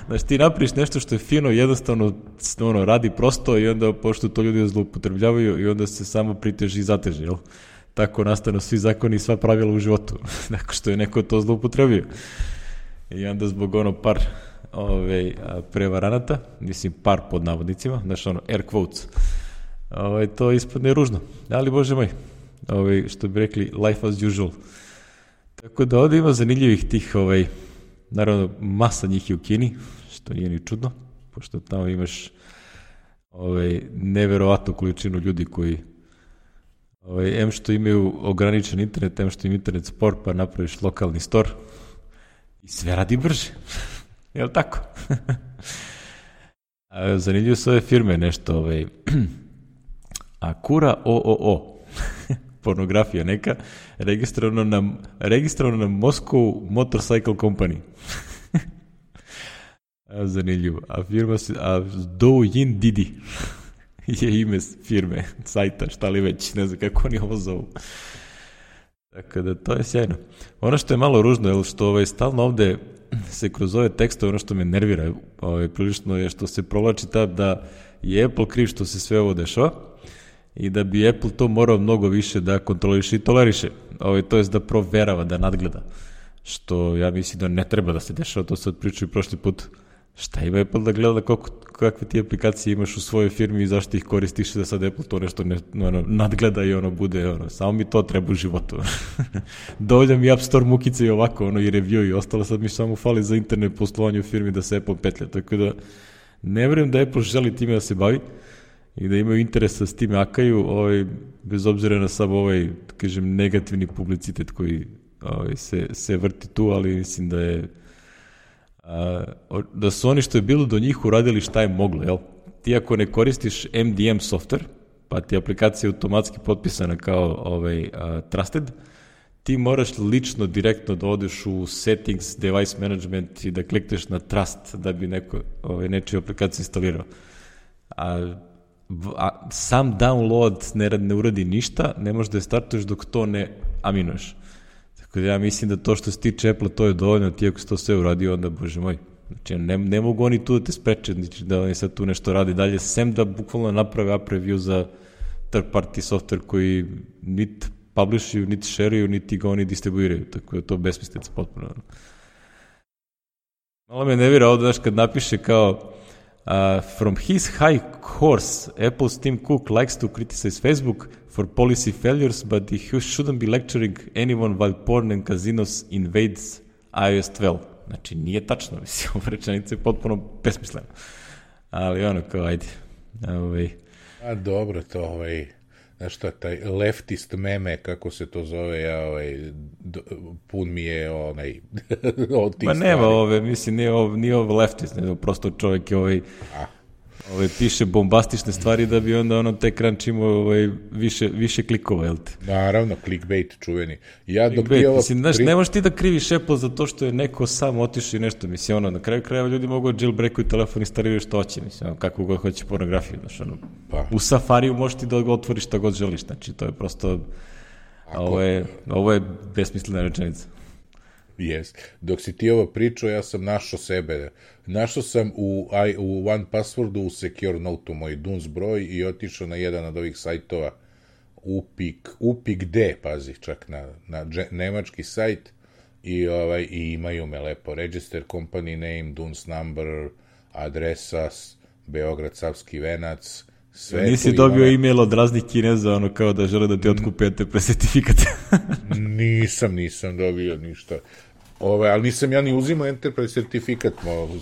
Znaš, ti napriš nešto što je fino, jednostavno radi prosto i onda pošto to ljudi zloupotrebljavaju i onda se samo priteži i zateži, jel? Tako nastanu svi zakoni i sva pravila u životu, nakon što je neko to zloupotrebio. I onda zbog par prevaranata, mislim par pod navodnicima, znaš air quotes, to ispadne ružno, ali bože moj, što bi rekli, life as usual. Tako da ovdje ima zanimljivih tih, naravno masa njih je u Kini, što nije ni čudno, pošto tamo imaš neverovatnu količinu ljudi koji em što imaju ograničen internet, em što im internet spor, pa napraviš lokalni store i sve radi brže. Jel tako? Zanimljivo su ove firme nešto, Akura OOO, pornografija neka, registrovano na Moscow Motorcycle Company. Zanimljivo. A firma se, Douyin Didi je ime firme, sajta, šta li već, ne znam kako oni ovo zovu. Tako da to je sjajno. Ono što je malo ružno je što stalno ovde se kroz ove tekstove, ono što me nervira prilično je što se provlači da je Apple kriv što se sve ovo dešava i da bi Apple to morao mnogo više da kontroliše i toleriše, to jest da proverava, da nadgleda, što ja mislim da ne treba da se dešava, to sad pričaju prošli put. Šta ima Apple da gleda kakve ti aplikacije imaš u svojoj firmi i zašto ih koristiš da sad Apple to nešto nadgleda i bude, samo mi to treba u životu. Dovolja mi App Store mukice i ovako, i review i ostalo, sad mi samo fali za internet poslovanje u firmi da se Apple petlja, tako da ne vjerujem da Apple želi time da se bavi i da imaju interes da s time akaju, bez obzira na sam kažem, negativni publicitet koji se vrti tu, ali mislim da je da su oni što je bilo do njih uradili šta je moglo, jel? Ti ako ne koristiš MDM software, pa ti aplikacija je automatski potpisana kao trusted, ti moraš lično direktno da odeš u settings, device management i da klikneš na trust da bi neko nečiju aplikaciju instalirao. Sam download ne uradi ništa, ne možeš da je startuješ dok to ne aminuješ. Tako da ja mislim da to što se tiče Apple, to je dovoljno, ti ako se to sve uradio, onda, bože moj, znači ne mogu oni tu da te spreče, znači da oni sad tu nešto radi dalje, sem da bukvalno naprave app review za third party software koji niti publishuju, niti šeruju, niti ga oni distribuiraju, tako da to besmislica potpuno. Malo me nevira ovdje, znaš, kad napiše kao From his high horse, Apple's Tim Cook likes to criticize Facebook for policy failures, but he shouldn't be lecturing anyone while porn and casinos invades iOS 12. Znači, nije tačno, mislim, ova rečenica je potpuno besmislena. Ali ono, kao, ajde. A dobro, to znaš šta, taj leftist meme, kako se to zove, pun mi je od tih Ma nema stvari. ove, mislim, nije ovo leftist, nego prosto čovjek je piše bombastične stvari da bi onda TechCrunch imao više klikova, jel te? Naravno, clickbait čuveni. Mislim, znaš, ne možeš ti da kriviš Apple za to što je neko sam otišao i nešto, mislim, na kraju krajeva ljudi mogu jailbreakuju telefon i instaliraju što hoće, mislim, kako god hoće pornografiju, znaš, u Safariju možeš ti da otvoriš šta god želiš, znači, to je prosto, ovo je besmislena rečenica. Yes. Dok si ti ovo pričao, ja sam našao sebe. Našao sam u OnePasswordu u Secure Note-u moj DUNS broj i otišao na jedan od ovih sajtova upik.d, pazi, čak na nemački sajt i imaju me lepo. Register company name, DUNS number, adresa, Beograd, Savski venac, sve. Nisi dobio e-mail od raznih Kineza, kao da žele da ti otkupe ETP sertifikate. Nisam dobio ništa. Ali nisam ja ni uzimao Enterprise sertifikat,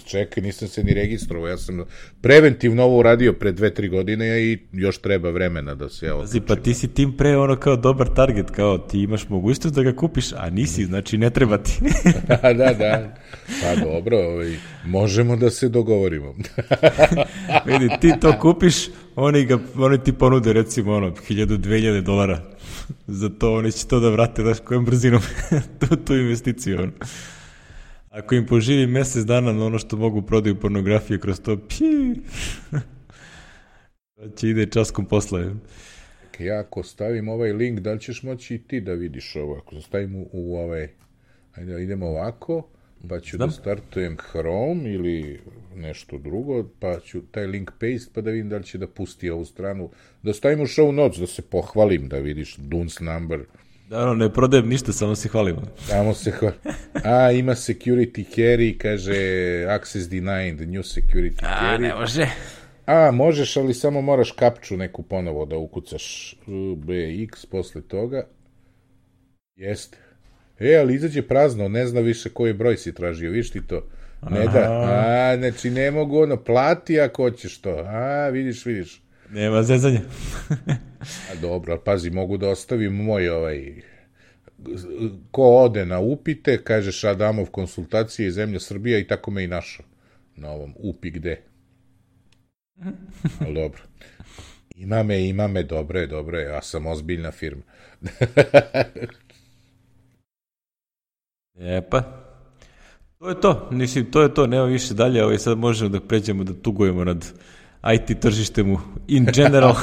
čekaj, nisam se ni registrovao, ja sam preventivno ovo uradio pre 2-3 godine i još treba vremena da se odlučim. Pa ti si tim pre kao dobar target, kao ti imaš mogućnost da ga kupiš, a nisi, znači ne treba ti. Da. Pa dobro, možemo da se dogovorimo. Vidi, ti to kupiš, oni ti ponude recimo $1,000-2,000. Za to oni će to da vrate, znaš, kojom brzinom tu investiciju. Ako im poživi mesec dana na ono što mogu prodaju pornografije kroz to, će ide časkom posle. Ja ako stavim ovaj link, da li ćeš moći i ti da vidiš ovo? Ako stavim u ovaj, ajde idemo ovako, pa ću da startujem Chrome ili nešto drugo, pa ću taj link paste, pa da vidim da li će da pusti ovu stranu, da stavim u show notes, da se pohvalim, da vidiš DUNS number. Da, ne prodajem ništa, samo se hvalimo. Samo se hvalim. Ima security carry, kaže access denied, new security carry. Ne može. Možeš, ali samo moraš kapču neku ponovo da ukucaš BX posle toga. Jeste. Ali izađe prazno, ne zna više koji broj si tražio, viš ti to? Ne da. Znači ne mogu plati ako hoćeš to. Vidiš. Nema zezanja. Dobro, ali pazi, mogu da ostavim moj ko ode na upite, kažeš Adamov konsultacije iz zemlje Srbija i tako me i našao na ovom upik.d. Ali dobro. Ima me, dobro je, ja sam ozbiljna firma. To je to, mislim, to je to, nema više dalje, sad možemo da pređemo da tugujemo nad IT tržištem in general.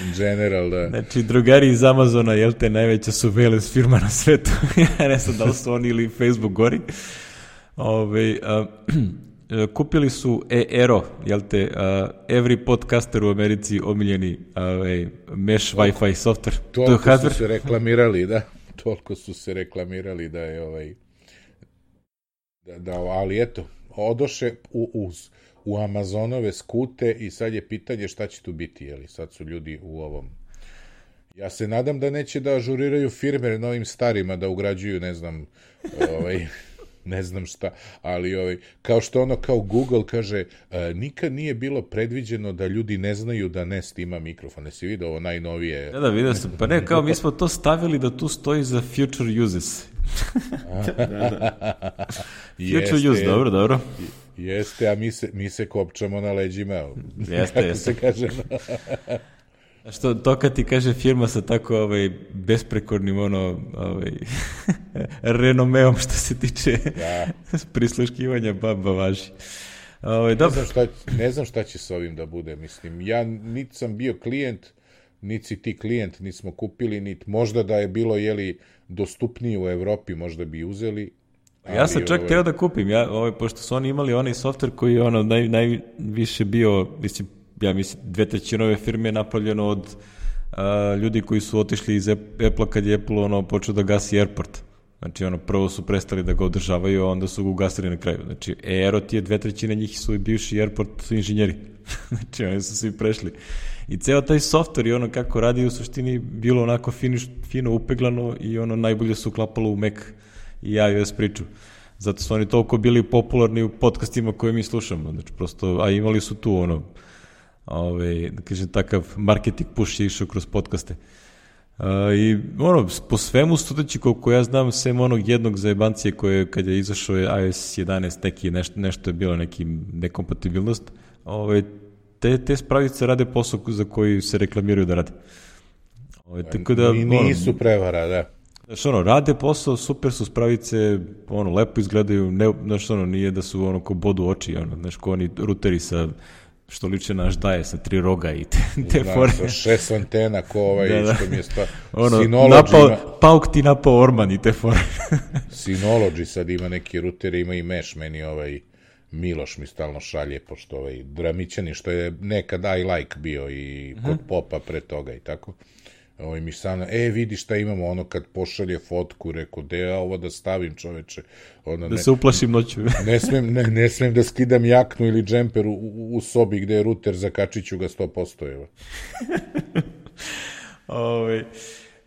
In general, da. Znači, drugari iz Amazona, jel te, najveća surveillance firma na svetu, ja ne znam da li su oni ili Facebook gori, kupili su Aero, jel te, every podcaster u Americi omiljeni mesh Wi-Fi software. Toliko su se reklamirali, da. Toliko su se reklamirali da je ali eto, odoše u Amazonove skute i sad je pitanje šta će tu biti, jeli, sad su ljudi u ovom. Ja se nadam da neće da ažuriraju firme novim starima, da ugrađuju, ne znam, ne znam šta, ali kao što kao Google kaže, nikad nije bilo predviđeno da ljudi ne znaju da Nest ima mikrofon. Jesi vidio ovo najnovije? Da, vidio sam. Pa ne, kao mi smo to stavili da tu stoji za future uses. Future use, dobro. Jeste, a mi se kopčamo na leđima. Jeste. Se kaže. Što to kad ti kaže firma sa tako besprekornim renomeom što se tiče prisluškivanja baba važi. Ne znam šta će s ovim da bude, mislim, ja niti sam bio klijent, niti si ti klijent, niti smo kupili, niti možda da je bilo dostupnije u Evropi, možda bi uzeli. Ja sam čak teo da kupim, pošto su oni imali onaj software koji je najviše bio, mislim, ja mislim, 2/3 ove firme je napravljeno od ljudi koji su otišli iz Apple-a kad je Apple počeo da gasi Airport. Znači, ono, prvo su prestali da ga održavaju, a onda su ga ugasili na kraju. Znači, Aerot je 2/3 njih su i bivši airport inženjeri. Znači, oni su svi prešli. I ceo taj software i ono kako radi u suštini bilo onako fino upeglano i ono najbolje su uklapalo u Mac i iOS priču. Zato su oni toliko bili popularni u podcastima koje mi slušamo. Znači, prosto, a imali su tu ono, da kažem, takav marketing push je išao kroz podcaste. I ono, po svemu sudeći koliko ja znam, sem onog jednog zajebancije koje kad je izašao je iOS 11 neki nešto je bilo neki nekompatibilnost, te spravice rade posao za koji se reklamiraju da rade. Tako da, nisu prevara, da. Znaš, rade posao, super su spravice, lepo izgledaju, znaš, nije da su ko bodu oči, znaš, ko oni ruteri sa, što liče na Aždaje sa 3 roga i te fore. Sa 6 antena, ko što mi je Synology Pauk ti napao Orman i te fore. Synology sad ima neki ruter, ima i mesh, meni Miloš mi stalno šalje, pošto Dramićani, što je nekad I like bio i kod Popa pre toga i tako. Mi stano, vidi šta imamo, kad pošalje fotku, reko, ovo da stavim, čoveče. Da se uplašim noću. Ne smem da skidam jaknu ili džemper u sobi gde je ruter, zakačit ću ga 100%.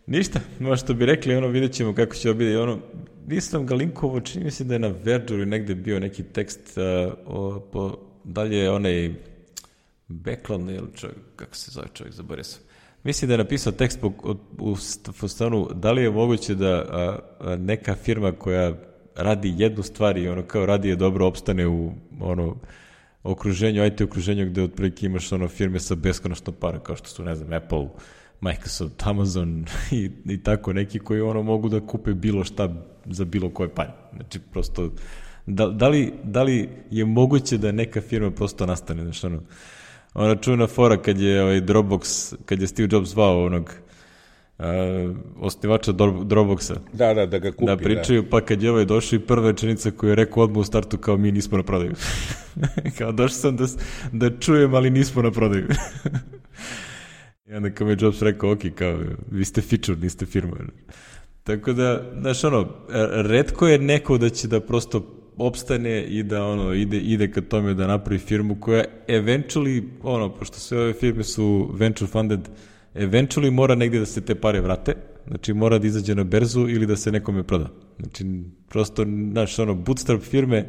Ništa, što bi rekli, vidjet ćemo kako će biti. Nisam ga linkovo, čini mi se da je na Verđu ili negde bio neki tekst, dalje onaj Backlund, kako se zove čovjek, zaboravio sam. Mislim da je napisao tekst u stanu, da li je moguće da neka firma koja radi jednu stvar i kao radi je dobro opstane u okruženju, IT okruženju gde otprilike imaš firme sa beskonačno para, kao što su, ne znam, Apple, Microsoft, Amazon i tako neki koji mogu da kupe bilo šta za bilo koje pare. Znači, prosto, da li je moguće da neka firma prosto nastane, znači, ona čuvena fora kad je Dropbox, kad je Steve Jobs zvao onog osnivača Dropboxa. Da ga kupi. Da pričaju, pa kad je došao i prva rečenica koju je rekao odmah u startu kao mi nismo na prodaju. Kao došao sam da čujem, ali nismo na prodaju. I onda kao mi je Jobs rekao, ok, kao vi ste feature, niste firma. Tako da, znaš, retko je neko da će da prosto opstane i da ide ka tome da napravi firmu koja eventually, pošto sve ove firme su venture funded, eventually mora negdje da se te pare vrate, znači mora da izađe na berzu ili da se nekome proda. Znači, prosto, znaš, bootstrap firme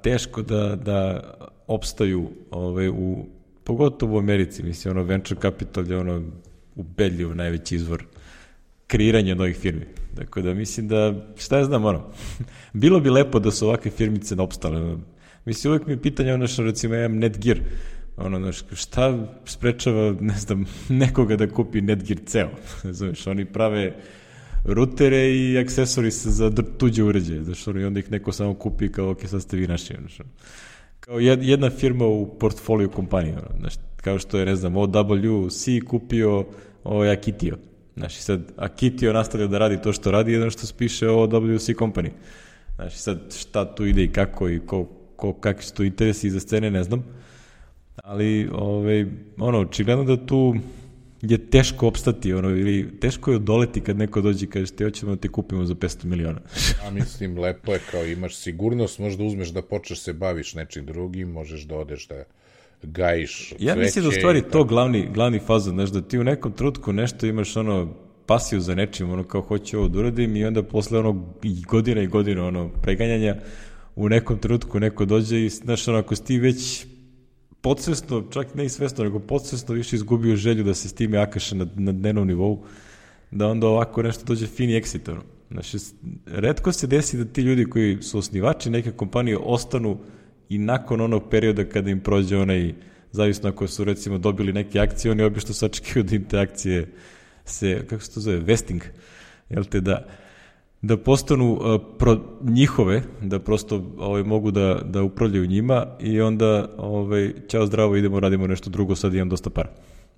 teško da opstaju pogotovo u Americi, mislim, venture capital je ubedljivo najveći izvor kreiranja novih firmi. Tako da mislim da, šta ja znam, bilo bi lepo da su ovakve firmice opstale. Mislim, uvijek mi je pitanje, recimo, ja imam Netgear, šta sprečava, ne znam, nekoga da kupi Netgear ceo, znaš, oni prave rutere i aksesori za tuđe uređaje, znaš, i onda ih neko samo kupi kao, ok, sad ste vi naši, znaš, kao jedna firma u portfolio kompaniji, znaš, kao što je, ne znam, OWC kupio Akitio. Znači, sad, Akitio nastavlja da radi to što radi, jedno što spiše OWC company. Znači, sad, šta tu ide i kako i kakvi su tu interesi iza scene, ne znam. Ali, očigledno da tu je teško opstati, ili teško je odoleti kad neko dođe i kaže, hoćemo da te kupimo za 500 miliona. Ja mislim, lepo je kao imaš sigurnost, možda uzmeš da počneš se baviš nečim drugim, možeš da odeš da gajiš cveće. Ja mislim da u stvari to glavni fazon, znaš, da ti u nekom trenutku nešto imaš pasiju za nečim, kao hoću ovo da uradim i onda posle godina i godina preganjanja u nekom trenutku neko dođe i znaš, ako si ti već podsvesno, čak ne i svesno, nego podsvesno više izgubio želju da se s time akaše na dnevnom nivou, da onda ovako nešto dođe fini exit. Znači, retko se desi da ti ljudi koji su osnivači neke kompanije ostanu i nakon onog perioda kada im prođe zavisno ako su recimo dobili neke akcije, oni obično sačekaju da im te akcije se, kako se to zove, vesting, jel te, da postanu njihove, da prosto mogu da upravljaju njima i onda ćao zdravo, radimo nešto drugo, sad imam dosta para.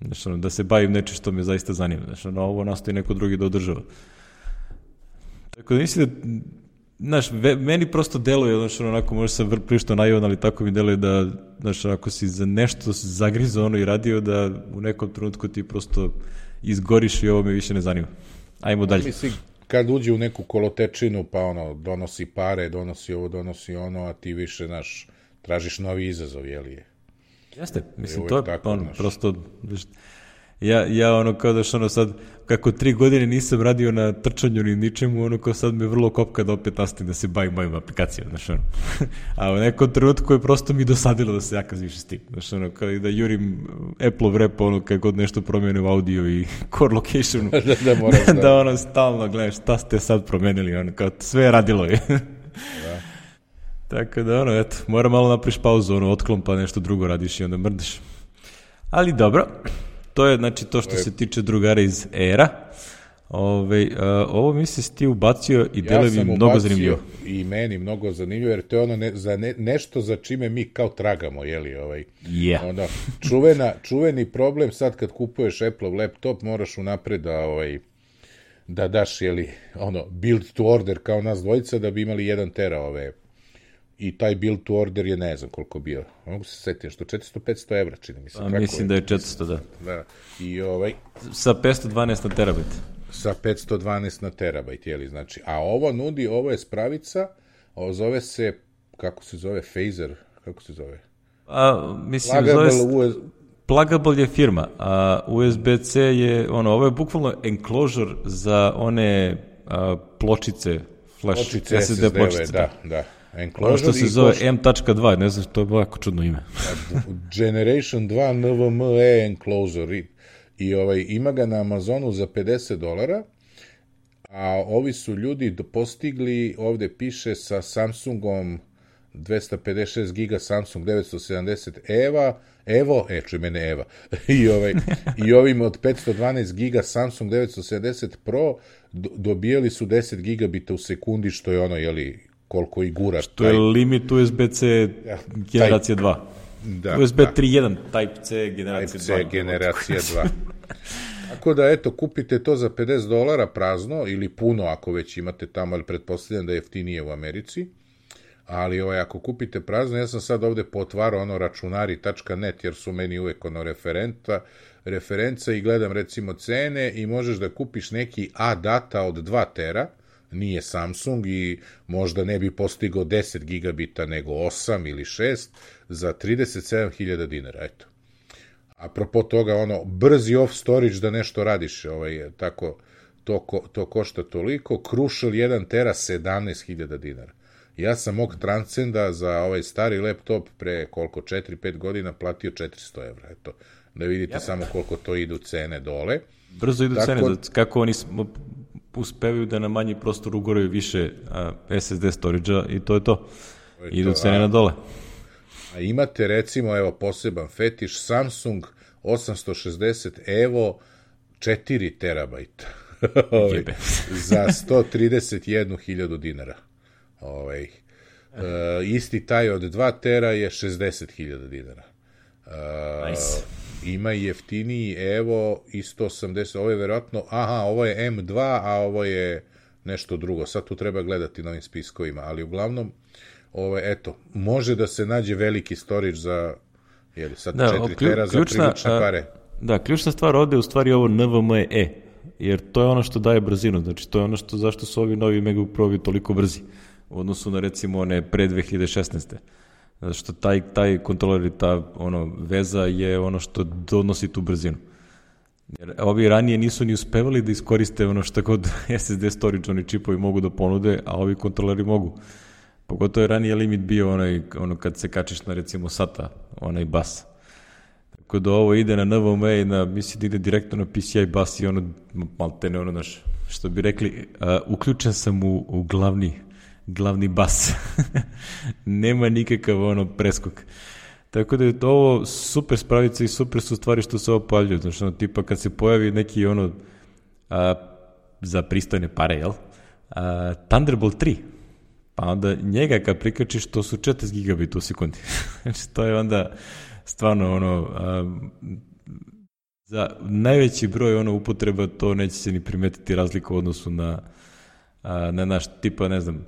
Znači, da se bavim nečim što me zaista zanima. Znači, ovo nastoji neko drugi da održava. Tako da mislim da, znaš, meni prosto deluje, znači, onako, možda sam prilično naivan, ali tako mi deluje da, znači, ako si za nešto zagrizao i radio, da u nekom trenutku ti prosto izgoriš i ovo me više ne zanima. Ajmo dalje. Mislim, kad uđe u neku kolotečinu, pa ono, donosi pare, donosi ovo, donosi ono, a ti više, znaš, tražiš novi izazov, jeli je? Jeste, mislim, to je tako, ono, prosto, ja ono, kao daš, ono sad, kako 3 godine nisam radio na trčanju ni ničemu, ono, kao sad me vrlo kopka da opet nastavim da se bavim mojim aplikacijama, znaš, ono. A u nekom trenutku je prosto mi dosadilo da se jaka više s tim, znaš, ono, kao i da jurim Apple-ov rep, ono, kad god nešto promene u audio i core locationu, da ono, stalno gledaš, šta ste sad promenili, ono, kao sve je radilo je. Da. Tako da, ono, eto, mora malo napriš pauzu, ono, otklon, pa nešto drugo radiš i onda mrdeš. Ali dobro, to je, znači, to što se tiče drugara iz Era. Ovo mi se ti ubacio i dele mi mnogo zanimljivo. I meni mnogo zanimljivo, jer to je ono nešto za čime mi kao tragamo, jeli, ono, čuveni problem sad kad kupuješ Apple laptop, moraš unapred da daš, jeli, ono, build to order kao nas dvojica da bi imali 1 tera i taj build to order je ne znam koliko bio. Mogu se setiti, što 400-500 evra, čini mi se. Mislim da je 400, da. Da. I sa 512 na terabajt. Sa 512 na terabajt, jeli, znači. A ovo je spravica, zove se, kako se zove, Phaser, kako se zove? Mislim, zove Plugable je firma, a USB-C je, ovo je bukvalno enclosure za one pločice, flash, SSD pločice. Da. Ono što se zove M.2, ne znam, to je jako čudno ime. Generation 2 NVMe enclosure. I ima ga na Amazonu za $50, a ovi su ljudi postigli, ovde piše sa Samsungom 256 giga Samsung 970 čuj mene Eva, i ovim od 512 giga Samsung 970 Pro dobijali su 10 gigabita u sekundi, što je ono, jeli, koliko i gura. Što je limit USB-C generacija 2. Da, USB 3.1, Type-C generacija 2. Tako da, eto, kupite to za $50 prazno, ili puno ako već imate tamo, ali pretpostavljam da je jeftinije u Americi. Ali ako kupite prazno, ja sam sad ovde potvarao računari.net, jer su meni uvek referenca i gledam recimo cene i možeš da kupiš neki A-data od 2 tera, nije Samsung i možda ne bi postigao 10 gigabita nego 8 ili 6 za $37.000, eto. Apropo toga, brzi off storage da nešto radiš, tako, to košta toliko, Crucial 1 tera $17.000. Ja sam mog Transcenda za ovaj stari laptop pre 4-5 godina platio $400, eto, da vidite samo koliko to idu cene dole. Brzo idu cene, kako oni uspevaju da na manji prostor ugoraju više SSD storage-a i to je to. Idu cene na dole. A imate recimo, poseban fetiš, Samsung 860 Evo 4 terabajta za $131.000. Isti taj od 2 tera je $60.000. Nice. Ima i jeftiniji Evo i 180, ovo je verovatno, ovo je M2, a ovo je nešto drugo, sad tu treba gledati na ovim spiskovima, ali uglavnom, eto, može da se nađe veliki storage za, sad 4 tera za prilične pare. Da, ključna stvar ovde je u stvari ovo NVMe, jer to je ono što daje brzinu, znači to je ono zašto su ovi novi MacBook Pro toliko brzi, u odnosu na recimo one pre 2016. Zato što taj kontroler i ta veza je ono što donosi tu brzinu. Jer ovi ranije nisu ni uspevali da iskoriste ono što god SSD storage oni čipovi mogu da ponude, a ovi kontroleri mogu. Pogotovo je ranije limit bio kad se kačiš na recimo SATA, onaj bus. Tako da ovo ide na NVMe i mislim da ide direktno na PCI bus i maltene što bi rekli, uključen sam u glavni bas. Nema nikakav preskok. Tako da je to ovo super spravica i super su stvari što se ovo pojavljaju. Znači, tipa kad se pojavi neki za pristojne pare, jel? Thunderbolt 3. Pa onda njega kad prikačiš, to su 40 gigabita u sekundi. Znači, to je onda stvarno za najveći broj upotreba to neće se ni primetiti razliku u odnosu na naš tipa, ne znam,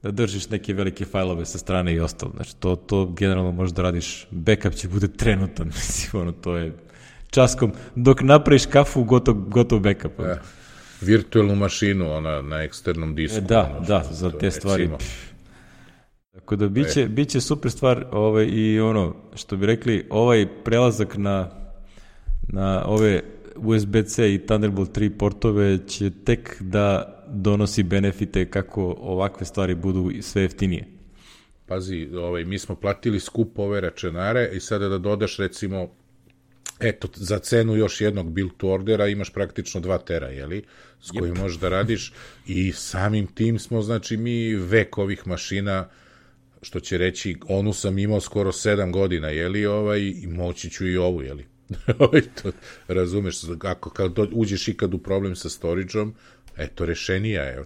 da držiš neke velike fajlove sa strane i ostalo. Znači, to generalno možeš da radiš, backup će bude trenutan, mislim, to je časkom, dok napraviš kafu, gotov backup. virtualnu mašinu na eksternom disku. Da, za te stvari. Tako da biće super stvar i ono, što bi rekli, ovaj prelazak na ove USB-C i Thunderbolt 3 portove će tek da donosi benefite kako ovakve stvari budu sve jeftinije. Pazi, mi smo platili skup ove računare i sada da dodaš recimo, eto, za cenu još jednog build to ordera imaš praktično 2 tera, jeli? S kojim možeš da radiš i samim tim smo, znači, mi vek ovih mašina, što će reći, onu sam imao skoro 7 godina, jeli, i moći ću i ovu, jeli? To, razumeš, kad uđeš ikad u problem sa storage-om, eto, rešenija je.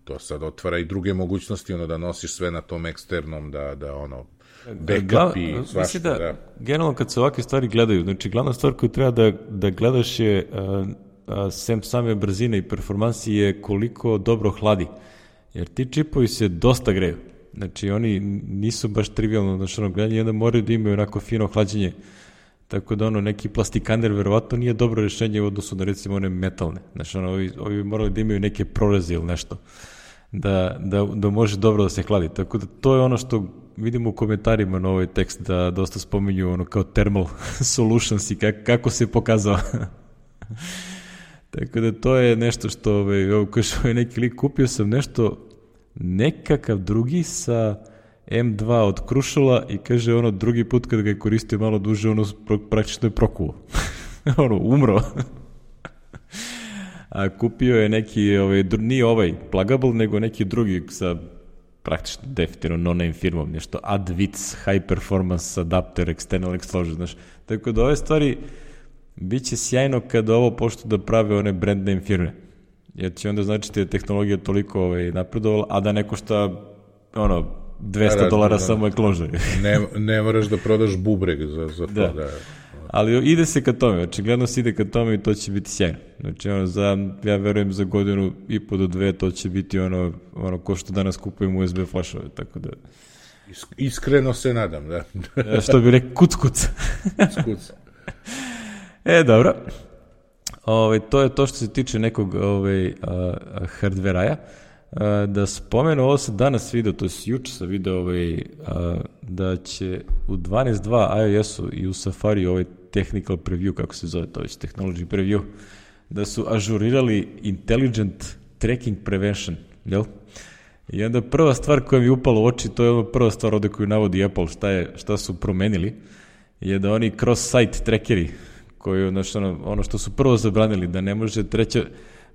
To sad otvara i druge mogućnosti, da nosiš sve na tom eksternom, da backup i svašta. Da, generalno kad se ovakve stvari gledaju, znači glavna stvar koju treba da gledaš je sem same brzine i performansi je koliko dobro hladi. Jer ti čipovi se dosta greju. Znači oni nisu baš trivialno gledanje i onda moraju da imaju onako fino hlađenje. Tako da neki plastikaner verovatno nije dobro rešenje u odnosu na recimo one metalne. Znači ovi morali da imaju neke proreze ili nešto da može dobro da se hladi. Tako da to je ono što vidimo u komentarima na ovaj tekst, da dosta spominju kao thermal solutions i kako se pokazao. Tako da to je nešto što kao neki lik kupio sam nekakav drugi sa M2 od Cruciala i kaže drugi put kad ga je koristio malo duže, praktično je prokuo. Umro. A kupio je neki, nije plugable, nego neki drugi sa praktično definitivno no-name firmom, nešto Adwitz, High Performance Adapter, External Explosion, znaš. Tako da ove stvari bit će sjajno kada ovo pošto da prave one brand name firme. Jer će onda znači da je tehnologija toliko napredovala, a da neko šta, $200 samo je kložaj. Ne moraš da prodaš bubreg za to. Da. Ali ide se ka tome, očigledno se ide ka tome i to će biti sjajno. Znači, ja verujem za 1.5 godinu do 2 to će biti ko što danas kupujemo USB flašove, tako da... Iskreno se nadam, da. Što bi rekao, kuc. Kuc. Dobro. To je to što se tiče nekog hardveraja. Da spomenu, ovo sam danas video, to je juče sam video da će u 12.2 iOS-u i u Safari technical preview, kako se zove to već, technology preview, da su ažurirali intelligent tracking prevention, jel? I onda prva stvar koja mi je upala u oči, to je prva stvar ovde koju navodi Apple, šta su promenili, je da oni cross-site trackeri, koji, znači, ono što su prvo zabranili, da ne može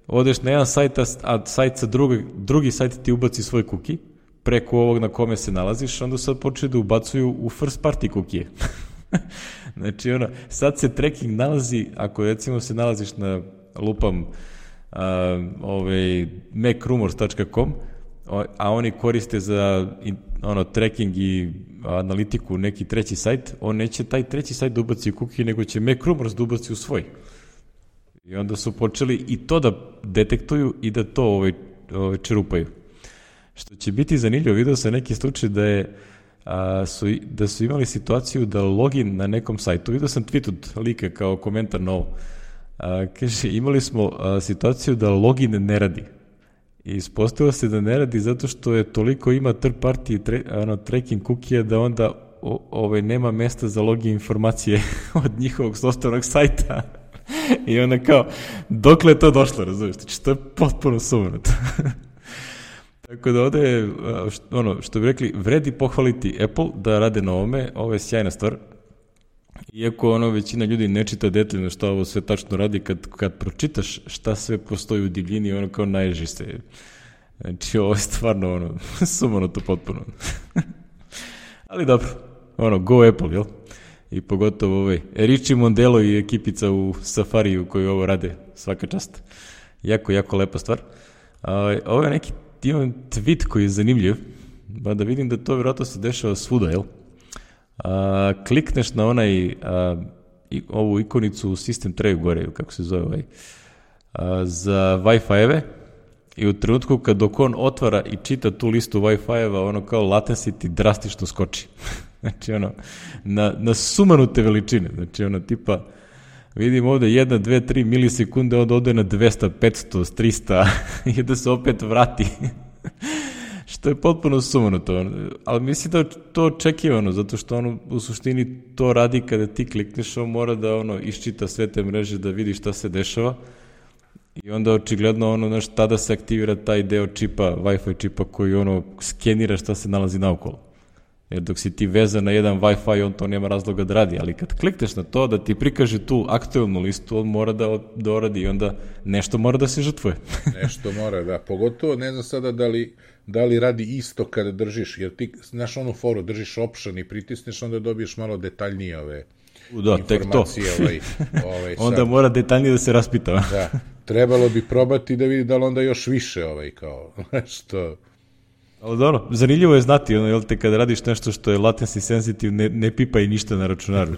odeš na jedan sajt, a sajt sa drugi sajt ti ubaci svoj cookie, preko ovog na kome se nalaziš, onda sad počeli da ubacuju u first party cookie. Znači, sad se tracking nalazi, ako recimo se nalaziš na lupam macrumors.com, a oni koriste za tracking i analitiku neki treći sajt, on neće taj treći sajt da ubaci u cookie, nego će macrumors da ubaci u svoj. I onda su počeli i to da detektuju i da to čerupaju. Što će biti zanimljivo, vidio sam neki slučaj da su imali situaciju da login na nekom sajtu, vidio sam tweet od lika kao komentar na ovo, kaže, imali smo situaciju da login ne radi. I ispostavilo se da ne radi zato što je toliko ima third party tracking cookie da onda nema mesta za login informacije od njihovog sopstvenog sajta. I onda kao, dokle je to došlo, razumiješ? Znači, to je potpuno sumanuto. Tako da ovde je, što bi rekli, vredi pohvaliti Apple da rade na ovome, ovo je sjajna stvar. Iako većina ljudi ne čita detaljno šta ovo sve tačno radi, kad pročitaš šta sve postoji u divljini, kao naježi se. Znači, ovo je stvarno, sumanuto potpuno. Ali dobro, go Apple, jel? I pogotovo Richie Mondelo i ekipica u Safariju koji ovo rade, svaka čast. Jako, jako lepa stvar. Ovo je neki tweet koji je zanimljiv, pa da vidim da to vjerojatno se dešava svuda, jel? Klikneš na ovu ikonicu u system trayu gore, kako se zove za Wi-Fi-eve i u trenutku dok on otvara i čita tu listu Wi-Fi-eva, kao latency ti drastično skoči. Znači, na sumanute veličine. Znači, tipa, Vidim ovde 1, 2, 3 milisekunde, onda ode na 200, 500, 300 i da se opet vrati. Što je potpuno sumanuto. Ali mislim da je to očekivano, zato što ono u suštini to radi kada ti klikneš, on mora da ono iščita sve te mreže da vidi šta se dešava i onda očigledno ono, znaš, tada se aktivira taj deo čipa, Wi-Fi čipa koji ono skenira šta se nalazi naokolo. Jer dok si ti vezan na jedan Wi-Fi, on to nema razloga da radi, ali kad klikneš na to da ti prikaže tu aktualnu listu, on mora da doradi i onda nešto mora da se žrtvuje. Nešto mora, da. Pogotovo, ne znam sada da li radi isto kada držiš, jer ti, znaš onu foru, držiš option i pritisneš, onda dobiješ malo detaljnije ove informacije. Onda sad mora detaljnije da se raspita. Da, trebalo bi probati da vidi da li onda još više kao, što... Ali dobro, zanimljivo je znati, jel te, kada radiš nešto što je latency sensitive, ne pipa i ništa na računaru.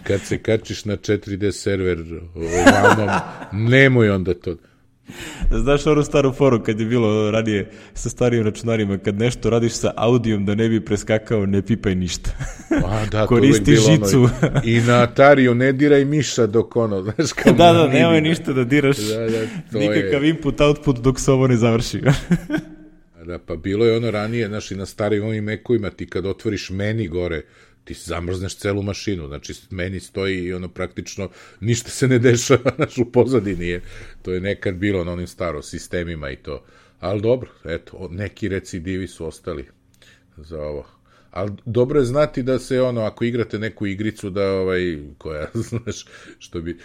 Kad se kačiš na 4D server ovamo, nemoj onda to. Znaš onu staru foru kad je bilo ranije sa starijim računarima, kad nešto radiš sa audijom da ne bi preskakao, ne pipaj ništa. Da, koristi žicu. I na Atariju ne diraj miša dok ono, znaš kao... Da, nemoj ništa da diraš, nikakav input, output dok se ovo ne završi. Da, pa bilo je ono ranije, znaš, i na starim ovim Mac-ovima, ti kad otvoriš meni gore, ti zamrzneš celu mašinu, znači meni stoji i ono praktično ništa se ne dešava, znaš, u pozadini je, to je nekad bilo na onim starom sistemima i to, ali dobro, eto, neki recidivi su ostali za ovo. Ali dobro je znati da se ono, ako igrate neku igricu da koja, znaš,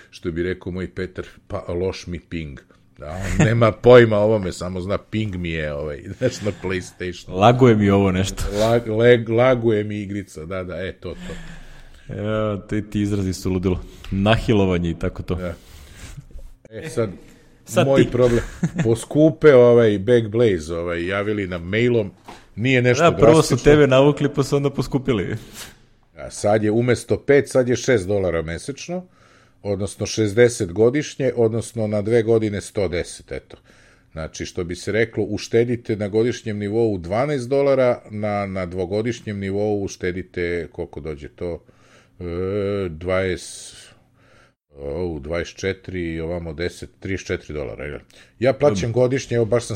što bi rekao moj Petar, pa loš mi ping. Da, on nema pojma ovome, samo zna ping mi je znaš, na PlayStation. Laguje mi ovo nešto. Laguje mi igrica, da, to. Evo, ti izrazi su ludilo. Nahilovanje i tako to. Da. Sad moj problem. Poskupe Backblaze, javili nam mailom, nije nešto drastično. Prvo su tebe navukli, pa su onda poskupili. Sad je umesto 5, sad je $6 mesečno, odnosno 60 godišnje, odnosno na 2 godine 110, eto. Znači, što bi se reklo, uštedite na godišnjem nivou $12, na dvogodišnjem nivou uštedite, koliko dođe to, 24 i ovamo 10, $34. Ja plaćam godišnje, evo baš sam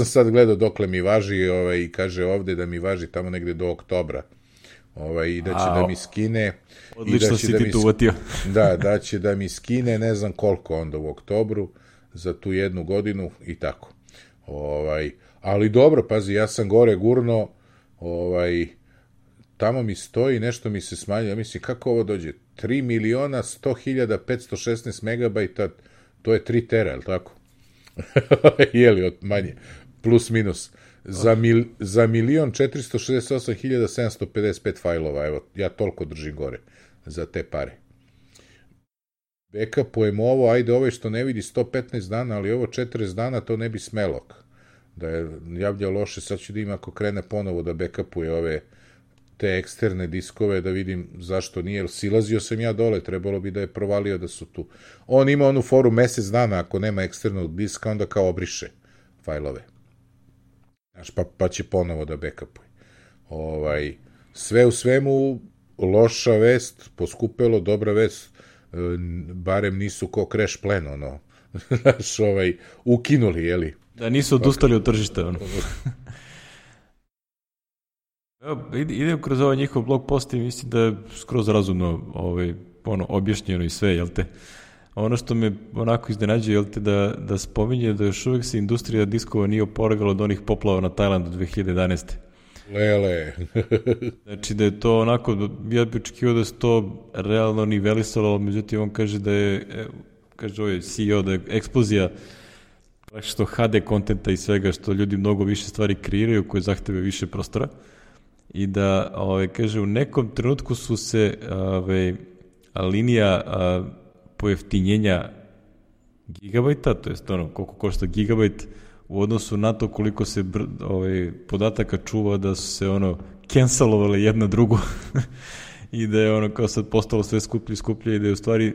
sad gledao dokle mi važi i kaže ovde da mi važi tamo negde do oktobra. I da će da mi skine. Odlično si ti tu uvatio. Da će da mi skine ne znam koliko onda u oktobru za tu 1 godinu i tako. Ali dobro, pazi, ja sam gore gurno, tamo mi stoji, nešto mi se smanjilo, ja mislim kako ovo dođe, 3.100.516 megabajta, to je 3 tera, je li tako? Jeli, od manje, plus minus. Za 1.468.755 fajlova, evo, ja toliko držim gore za te pare. Backupujem ovo, ajde što ne vidi 115 dana, ali ovo 40 dana, to ne bi smelo. Da je javlja loše, sad ću da ima ako krene ponovo da backupuje te eksterne diskove, da vidim zašto nije, jer silazio sam ja dole, trebalo bi da je provalio da su tu. On ima onu foru mesec dana, ako nema eksternog diska, onda kao obriše fajlove. Znaš, pa će ponovo da backupuje. Sve u svemu, loša vest, poskupelo, dobra vest, barem nisu ko Crash Plan, znaš, ukinuli, jeli? Da nisu odustali od tržišta, Idem kroz ovaj njihov blog post i mislim da je skroz razumno objašnjeno i sve, jel te? Ono što me onako iznenađuje, jel te, da spominje da još uvijek se industrija diskova nije oporavila od onih poplava na Tajlandu 2011. Lele. Znači da je to onako, ja bih očekivao da se to realno nivelisalo, međutim on kaže da je, kaže ovaj CEO, da je eksplozija što HD kontenta i svega, što ljudi mnogo više stvari kreiraju koje zahteve više prostora i da, kaže, u nekom trenutku su se linija pojeftinjenja gigabajta, to je koliko košta gigabajt u odnosu na to koliko se podataka čuva, da su se cancelovale jedna drugu i da je kao sad postalo sve skuplje i da je u stvari,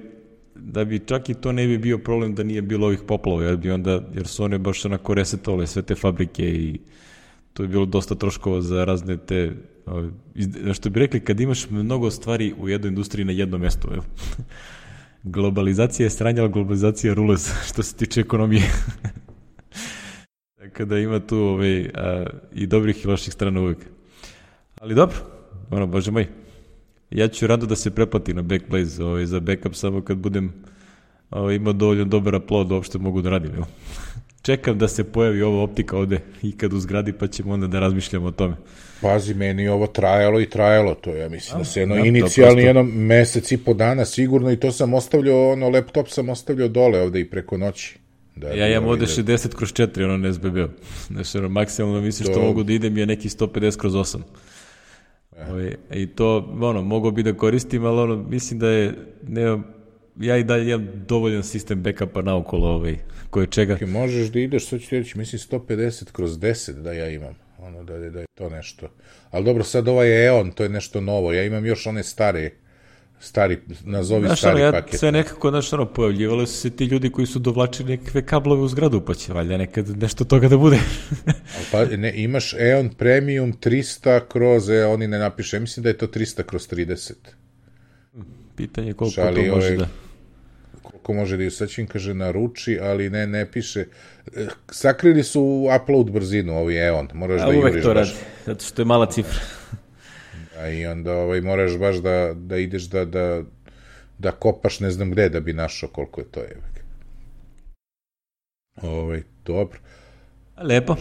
da bi čak i to ne bi bio problem da nije bilo ovih poplava, jer su one baš onako resetovale sve te fabrike i to je bilo dosta troškova za razne te što bi rekli, kad imaš mnogo stvari u jednoj industriji na jednom mjestu, evo. Globalizacija je sranje, ali globalizacija je rulez, što se tiče ekonomije. Tako da ima tu i dobrih i loših strana uvijek. Ali dobro, bože moj, ja ću rado da se preplati na Backblaze za backup samo kad budem imao dovoljno dobar upload da uopšte mogu da radim. Evo. Čekam da se pojavi ova optika ovde i kad uzgradi, pa ćemo onda da razmišljamo o tome. Pazi, meni ovo trajalo, to ja mislim da se inicijalni jedno mesec i po dana sigurno, i to sam ostavljao, laptop sam ostavljao dole ovde i preko noći. Ja imam ovde 60/4, ne SBB. Znači, maksimalno mislim što mogu da idem je neki 150/8. I to, mogu bi da koristim, ali mislim da je, ja i dalje imam dovoljan sistem backupa naokolo, koje čega. Možeš da ideš, sad ću ti reći, mislim 150/10 da ja imam, da je to nešto. Ali dobro, sad ovaj EON, to je nešto novo, ja imam još one stari, nazovi stari paket. Sve nekako, pojavljivali su se ti ljudi koji su dovlačili nekakve kablove u zgradu, pa će valjda nekad nešto toga da bude. Pa imaš EON Premium 300 oni ne napiše, mislim da je to 300/30. Pitanje koliko to može da... Koliko može da ju sačin, kaže naruči, ali ne piše. Sakrili su upload brzinu, ovi EON. Moraš da juriš uvek to radi, zato što je mala cifra. I onda moraš baš da ideš da kopaš ne znam gde da bi našao koliko je to. Dobro. Lepo.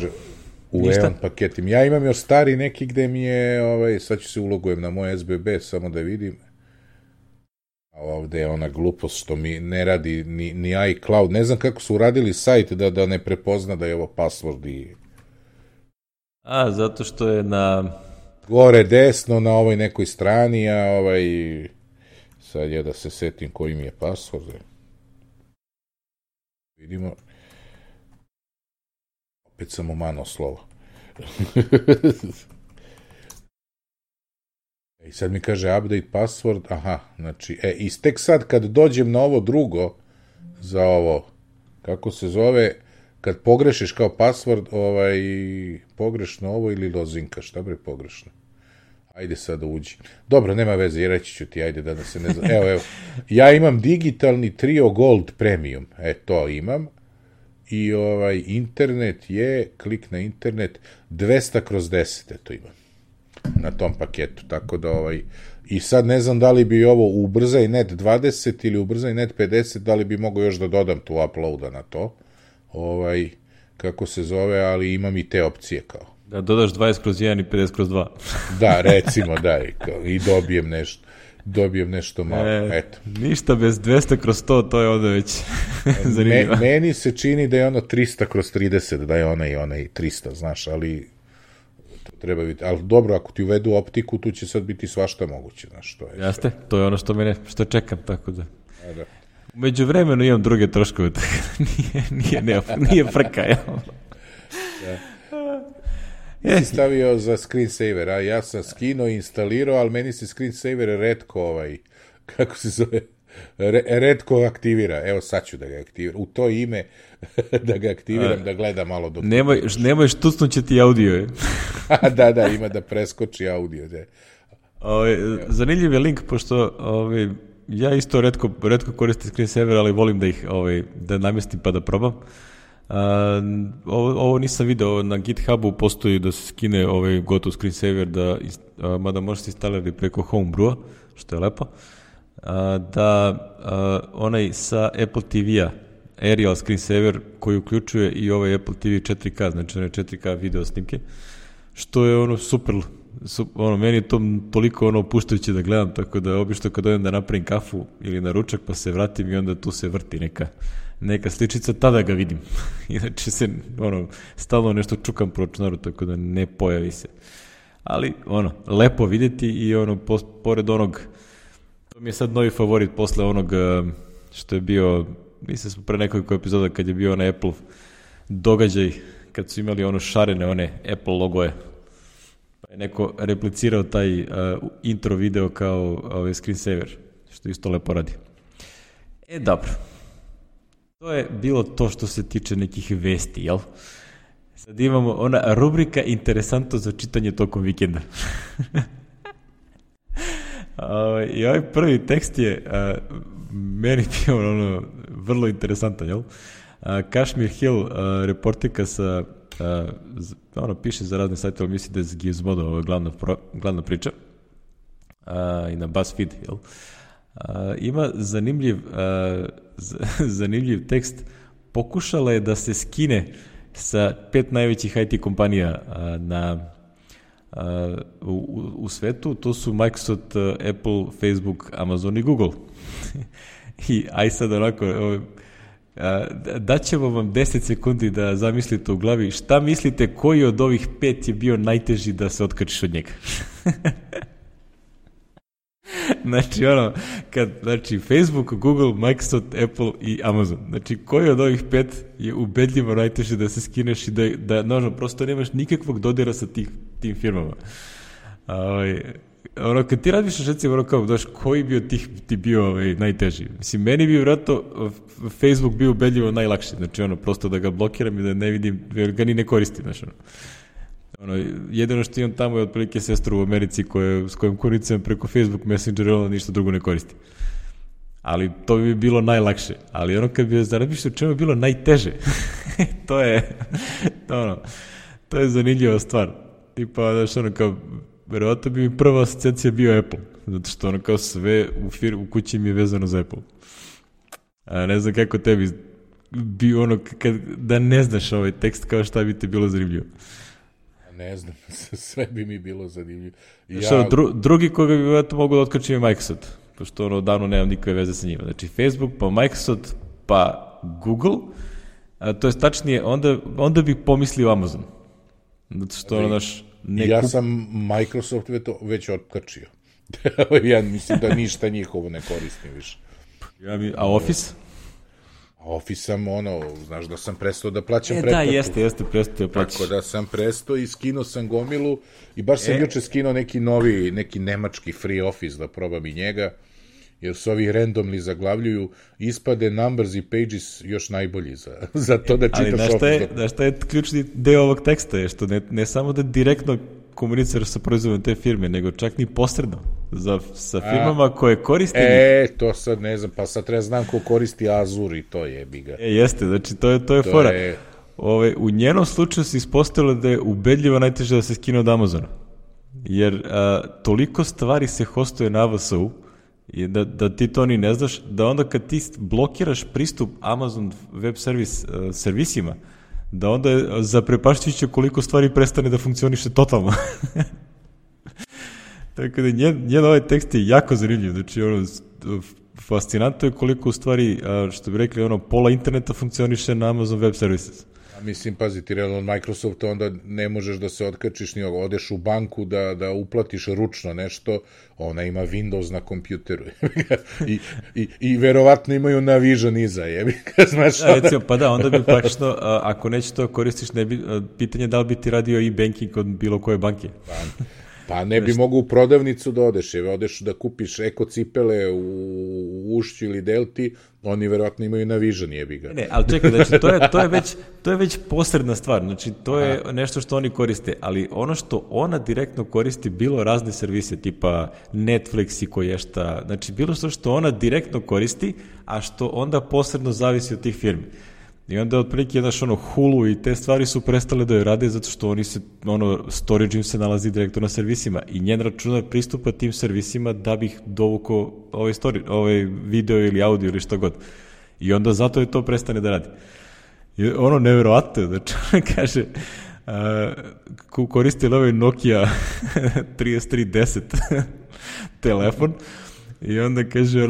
U EON paketim. Ja imam još stari neki gde mi je, sad ću se ulogujem na moj SBB, samo da vidim. A ovde je ona glupost što mi ne radi ni iCloud. Ne znam kako su uradili sajt da ne prepozna da je ovo password i... zato što je na... Gore desno na ovoj nekoj strani, a sad je da se setim koji mi je password. Vidimo. Opet sam umano slovo. I sad mi kaže update password, znači, i tek sad kad dođem na ovo drugo, za ovo, kako se zove, kad pogrešiš kao password, pogrešno ovo ili lozinka, šta bre pogrešno? Ajde sad da uđi. Dobro, nema veze, reći ću ti, ajde da se ne znam. Evo, ja imam digitalni Trio Gold Premium, to imam, i internet je, klik na internet, 200/10, to imam. Na tom paketu, tako da i sad ne znam da li bi ovo ubrzaj net 20 ili ubrzaj net 50, da li bi mogao još da dodam tu uploada na to, kako se zove, ali imam i te opcije kao. Da dodaš 20/1 i 50/2. Da, recimo, da, i dobijem nešto malo, eto. Ništa bez 200/100, to je onda već zanimljivo. Meni se čini da je ono 300/30, da je onaj 300, znaš, ali... treba biti, ali dobro, ako ti uvedu optiku, tu će sad biti svašta moguće, znaš, to je. Jeste, to je ono što čekam, tako da. Umeđu vremenu imam druge troškove, tako da nije frka, jel? Ti si stavio za screensaver, a ja sam skinuo i instalirao, ali meni se screensaver retko, kako se zove, retko aktivira. Evo sad ću da ga aktiviram. U to ime da ga aktiviram, da gledam malo dok... Nemoj štucnuće ti audio, je. Da, ima da preskoči audio. Zanimljiv je link, pošto ja isto retko koristim screensaver, ali volim da ih da namestim pa da probam. Ovo nisam video, na GitHubu postoji da se skine gotov screensaver, mada možete instalirati preko Homebrew-a, što je lepo. Da onaj sa Apple TV-a Aerial screensaver koji uključuje i ovaj Apple TV 4K, znači one 4K video snimke, što je super, meni je to toliko opuštajuće da gledam, tako da obično kad odem da napravim kafu ili na ručak pa se vratim i onda tu se vrti neka sličica, tada ga vidim. Inače se stalno nešto čukam po računaru, tako da ne pojavi se. Ali lepo vidjeti i pored onog, to mi je sad novi favorit posle onog što je bio, mislim smo pre nekoliko epizoda kad je bio onaj Apple događaj, kad su imali šarene one Apple logoje, pa je neko replicirao taj intro video kao screensaver, što isto lepo radi. Dobro. To je bilo to što se tiče nekih vesti, jel? Sad imamo ona rubrika interesantno za čitanje tokom vikenda. I ovaj prvi tekst je meni bio vrlo interesantan, jel? Kashmir Hill, reportika sa, piše za razne sajte, ali misli da je za Gizmodo, ovo je glavna priča. I na BuzzFeed, jel? Ima zanimljiv tekst. Pokušala je da se skine sa 5 najvećih IT kompanija u svetu, to su Microsoft, Apple, Facebook, Amazon i Google. I aj sad onako, daćemo vam 10 sekundi da zamislite u glavi šta mislite koji od ovih 5 je bio najteži da se otkačiš od njega. Znači Facebook, Google, Microsoft, Apple i Amazon. Znači koji od ovih 5 je ubedljivo najteže da se skineš i da prosto nemaš nikakvog dodira sa tim firmama. Kad ti radiš recimo koji bio ti bio najteži? Mislim, meni bi vjerojatno Facebook bio ubedljivo najlakši. Znači prosto da ga blokiram i da ne vidim, jer ga ni ne koristim. Jedino što imam tamo je otprilike sestru u Americi s kojom koristim preko Facebook Messenger, ona ništa drugo ne koristi. Ali to bi bilo najlakše. Ali kad bi razmišljao o čemu je bilo najteže, to je zanimljiva stvar. Tipa, kao, verovatno bi mi prva asocijacija bio Apple, zato što kao sve u kući mi je vezano za Apple. Ne znam kako tebi bi da ne znaš ovaj tekst, kao šta bi te bilo zanimljivo. Ne znam, sve bi mi bilo zanimljivo. Drugi koga bi vjerojatno mogu da otkačim je Microsoft, pošto odavno nemam nikakve veze sa njima. Znači Facebook, pa Microsoft, pa Google, to je tačnije, onda bih pomislio Amazon. Zato što ja sam Microsoft već otkačio. Ja mislim da ništa njihovo ne koristim više. A Office? Office sam, znaš da sam prestao da plaćam pretplatu. Da, jeste, prestao da plaćaš. Tako da sam prestao i skinuo sam gomilu i baš sam juče skinuo neki nemački free Office da probam i njega, jer su ovi randomly zaglavljuju, ispade Numbers i Pages još najbolji za to da čitaš Office. Ali šta je ključni deo ovog teksta je što ne samo da direktno komuniciraš sa proizvodom te firme, nego čak ni posredno sa firmama koje koriste to sad ne znam, pa sad treba znam ko koristi Azure i to je biga. Jeste, znači to je fora. U njenom slučaju se ispostavilo da je ubedljivo najteže da se skine od Amazona, jer toliko stvari se hostuje na AWS-u i da ti to ni ne znaš, da onda kad ti blokiraš pristup Amazon web servisima, da onda je zaprepašćujuće koliko stvari prestane da funkcioniše totalno. Tako da njen ovaj tekst je jako zanimljiv. Znači, fascinantno je koliko u stvari, što bi rekli, pola interneta funkcioniše na Amazon Web Services. Mislim, pazi, ti realno od Microsofta onda ne možeš da se otkačiš ni odeš u banku da uplatiš ručno nešto, ona ima Windows na kompjuteru. I verovatno imaju Navision iza, znaš. Recimo, pa da, onda bi praktično, ako neće to koristiš, pitanje da li bi ti radio e-banking od bilo koje banke. Pa ne bi mogu u prodavnicu da odeš da kupiš eko cipele u Ušću ili Delti, oni verovatno imaju Navision, jebi ga. Ne, ali čekaj, znači, to je već posredna stvar, znači to je nešto što oni koriste, ali ono što ona direktno koristi, bilo razne servise, tipa Netflix i koješta, znači bilo što ona direktno koristi, a što onda posredno zavisi od tih firmi. I onda otprilike Hulu i te stvari su prestale da joj rade zato što oni se, storage im se nalazi direktno na servisima i njen računar pristupa tim servisima da bih dovukao ovaj video ili audio ili šta god. I onda zato je to prestane da radi. I neverovatno, znači kaže, koristili ovaj Nokia 3310 telefon i onda kaže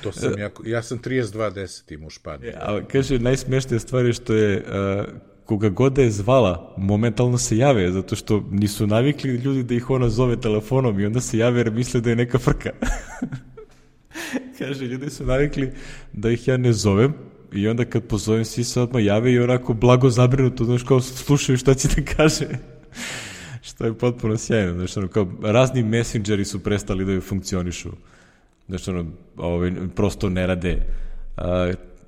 to sam ja sam 3210 imao u Španiji. Ali kaže, najsmešnija stvar je što je koga god da je zvala, momentalno se jave, zato što nisu navikli ljudi da ih ona zove telefonom i onda se jave jer misle da je neka frka. Kaže, ljudi su navikli da ih ja ne zovem i onda kad pozovem svi se odmah jave i onako blago zabrinuto, znaš, kao slušaju šta će da kaže. Što je potpuno sjajno. Znači, kao razni messengeri su prestali da funkcionišu. Znači, prosto ne rade.